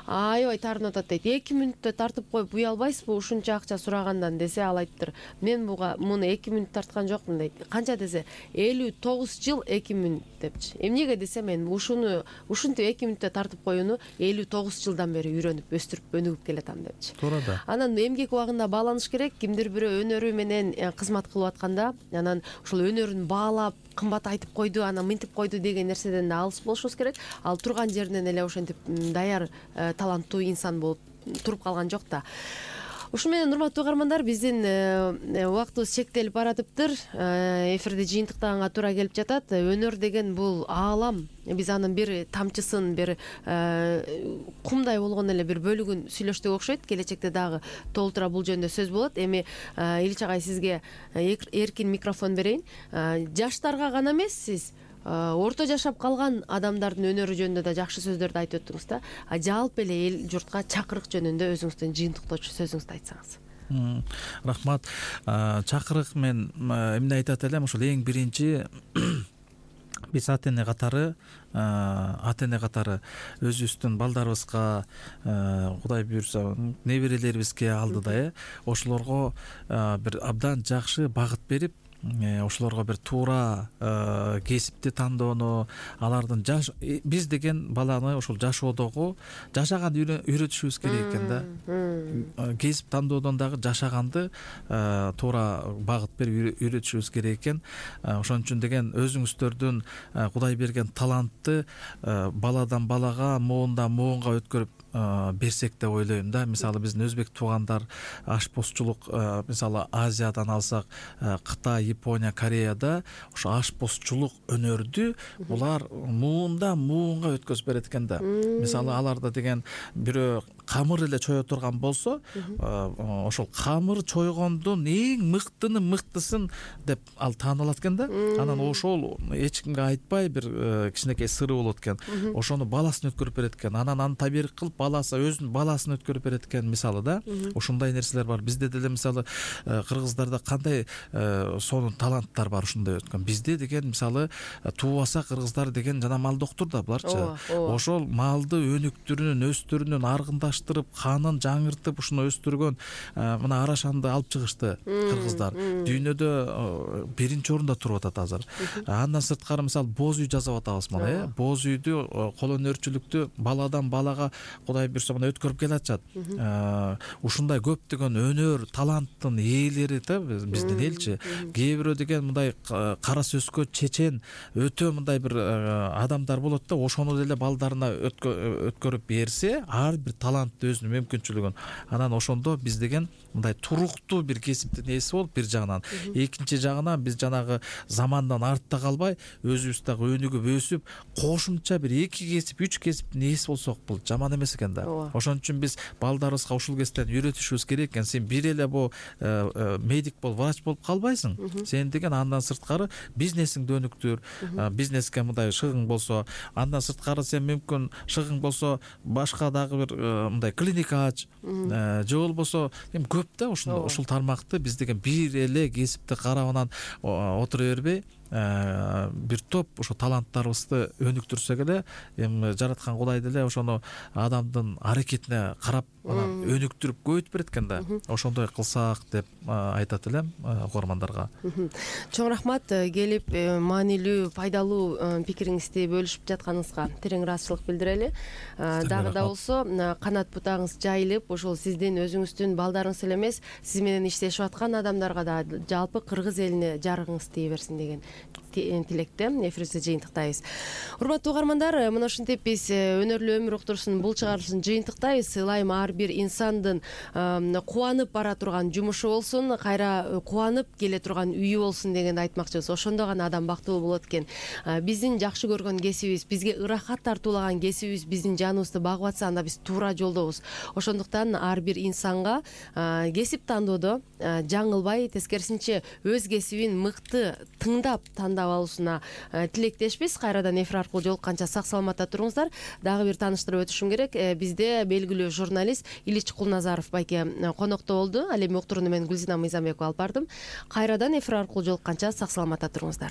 Speaker 2: Аябай таарынып атат дейт. 2 мүнөттө тартып коюп уя албайсызбы ушунча акча сурагандан десе, ал айтыптыр. Мен муну 2 мүнөт тарткан жокмун дейт. Канча десе, 59 жыл 2 мүнөт депчи. Эмнеге десе, мен ушинтип 2 мүнөттө тартып коюуну 59 жылдан бери үйрөнүп, өстүрүп, өнүгүп келатам депчи.
Speaker 3: Туура да.
Speaker 2: Анан эмгек убагында бааланыш керек. Кимдир бирөө өнөрү менен кызмат кылып атканда, анан ушул өнөрүн баалап, кымбат айтып койду, анан мынтип койду деген нерседен да алыс болушубуз керек. Ал турган жеринен эле ошентип даяр, таланттуу инсан болуп туруп калган жок да. Ушу менен, урматтуу угармандар, биздин убактыбыз чектелип баратыптыр. Эфирди жыйынтыктаганга туура келип жатат. Өнөр деген бул аалам. Биз анын бир тамчысын, бир кумдай болгон эле бир бөлүгүн сүйлөштүк окшойт. Келечекте дагы толтура бул жөнүндө сөз болот. Эми Ильич агай, сизге эркин микрофон берейин. Жаштарга гана эмес, сиз орто жашап калган адамдардын өнөрү жөнүндө да жакшы сөздөрдү айтып өттүңүз да. Жалпы эле эл журтка чакырык жөнүндө өзүңүздүн жыйынтыктоочу сөзүңүздү айтсаңыз.
Speaker 3: Рахмат. Чакырык, мен эмне айтат элем, ушул эң биринчи биз ата эне катары өзүбүздүн балдарыбызга, Кудай буйрса, неберелерибизге алдыда ошолорго бир абдан жакшы багыт берип, ошолорго бир туура кесипти тандоону, алардын биз деген баланы ошол жашоодогу жашаганды үйрөтүшүбүз керек экен да. Кесип тандоодон дагы жашаганды туура багыт берип үйрөтүшүбүз керек экен. Ошон үчүн деген өзүңүздөрдүн Кудай берген талантты баладан балага, моондан моонго өткөрүп берсек деп ойлойм да. Мисалы, биздин өзбек туугандар ашпозчулук, мисалы Азиядан алсак, Кытай, Япония, Кореяда ошо ашпозчулук өнөрдү булар муундан муунга өткөзүп берет экен да. Мисалы, аларда деген бирөө камыр эле чое турган болсо, ошол камыр чойгондун эң мыктысын деп ал таанылат экен да. Анан ошол эч кимге айтпай бир кичинекей сыры болот экен. Ошону баласына өткөрүп берет экен. Анан аны табирик кылып баласы өзүнүн баласына өткөрүп берет экен, мисалы да. Ошондой нерселер бар. Бизде деле мисалы кыргыздарда кандай сонун таланттар бар ушундай өткөн. Бизде деген мисалы туубаса кыргыздар деген жана мал доктур да буларчы. Ошол малды өнүктүрүүнүн, өстүрүүнүн, аргындаштырып, канын жаңыртып ушуну өстүргөн мына Арашанды алып чыгышты кыргыздар. Дүйнөдө биринчи орунда туруп атат азыр. Андан сырткары мисалы боз үй жасап атабыз мына, боз үйдү, кол өнөрчүлүктү баладан балага Кудай буйрса мына өткөрүп келатышат. Ушундай көптөгөн өнөр, таланттын ээлери да биздин элчи. Кээ бирөө деген мындай кара сөзгө чечен, өтө мындай бир адамдар болот да, ошону деле балдарына өткөрүп берсе, ар бир талантты өзүнүн мүмкүнчүлүгүн, анан ошондо биз деген мындай туруктуу бир кесиптин ээси болуп бир жагынан, экинчи жагынан биз жанагы замандан артта калбай, өзүбүз дагы өнүгүп өсүп, кошумча бир 2 кесип, 3 кесиптин ээси болсок, бул жаман эмес экен да. Ошон үчүн биз балдарыбызга ушул кесиптен үйрөтүшүбүз керек экен. Сен бир эле бул медик бол, врач болуп калбайсың. Сен деген андан сырткары бизнесиңди өнүктүр. Бизнеске мындай шыгың болсо, андан сырткары сен мүмкүн шыгың болсо, башка дагы бир мындай клиника ач. Же болбосо эми көп да ушул тармакты биз деген бир эле кесипти карабынан отура бербей, бир топ ошо таланттарыбызды өнүктүрсөк эле, эми жараткан Кудай деле ошону адам адамдын аракетине карап анан өнүктүрүп көбөйтүп берет экен да. Ошондой кылсак деп айтат элем угармандарга.
Speaker 2: Чоң рахмат келип маанилүү, пайдалуу пикириңизди бөлүшүп жатканыңызга терең ыраазычылык билдирели. Дагы да болсо канат бутагыңыз жайылып, ошол сиздин өзүңүздүн балдарыңыз эле эмес, сиз менен иштешип аткан адамдарга да жалпы кыргыз элине жарыгыңыз тие берсин деген тилекте эфирибизде жыйынтыктайбыз. Урматтуу угармандар, мына ушинтип биз өнөрлүү өмүр уктуруусунун бул чыгарылышын жыйынтыктайбыз. Ылайым ар бир инсандын кубанып бара турган жумушу болсун, кайра кубанып келе турган үйү болсун дегенди айтмакчыбыз. Ошондо гана адам бактылуу болот экен. Биздин жакшы көргөн кесибибиз, бизге ырахат тартуулаган кесибибиз биздин жаныбызды багып атса, анда биз туура жолдобуз. Ошондуктан ар бир инсанга кесип тандоодо жаңылбай, тескерисинче өз кесибин мыкты тыңдап тандап алуусуна тилектешпиз. Кайрадан эфир аркылуу жолукканча сак саламатта туруңуздар. Дагы бир тааныштырып өтүшүм керек. Бизде белгилүү журналист Ильич Кулназаров байке конокто болду. Ал эми уктурууну мен Гүлзина Мыйзамбекова алып бардым. Кайрадан эфир аркылуу жолукканча сак саламатта туруңуздар.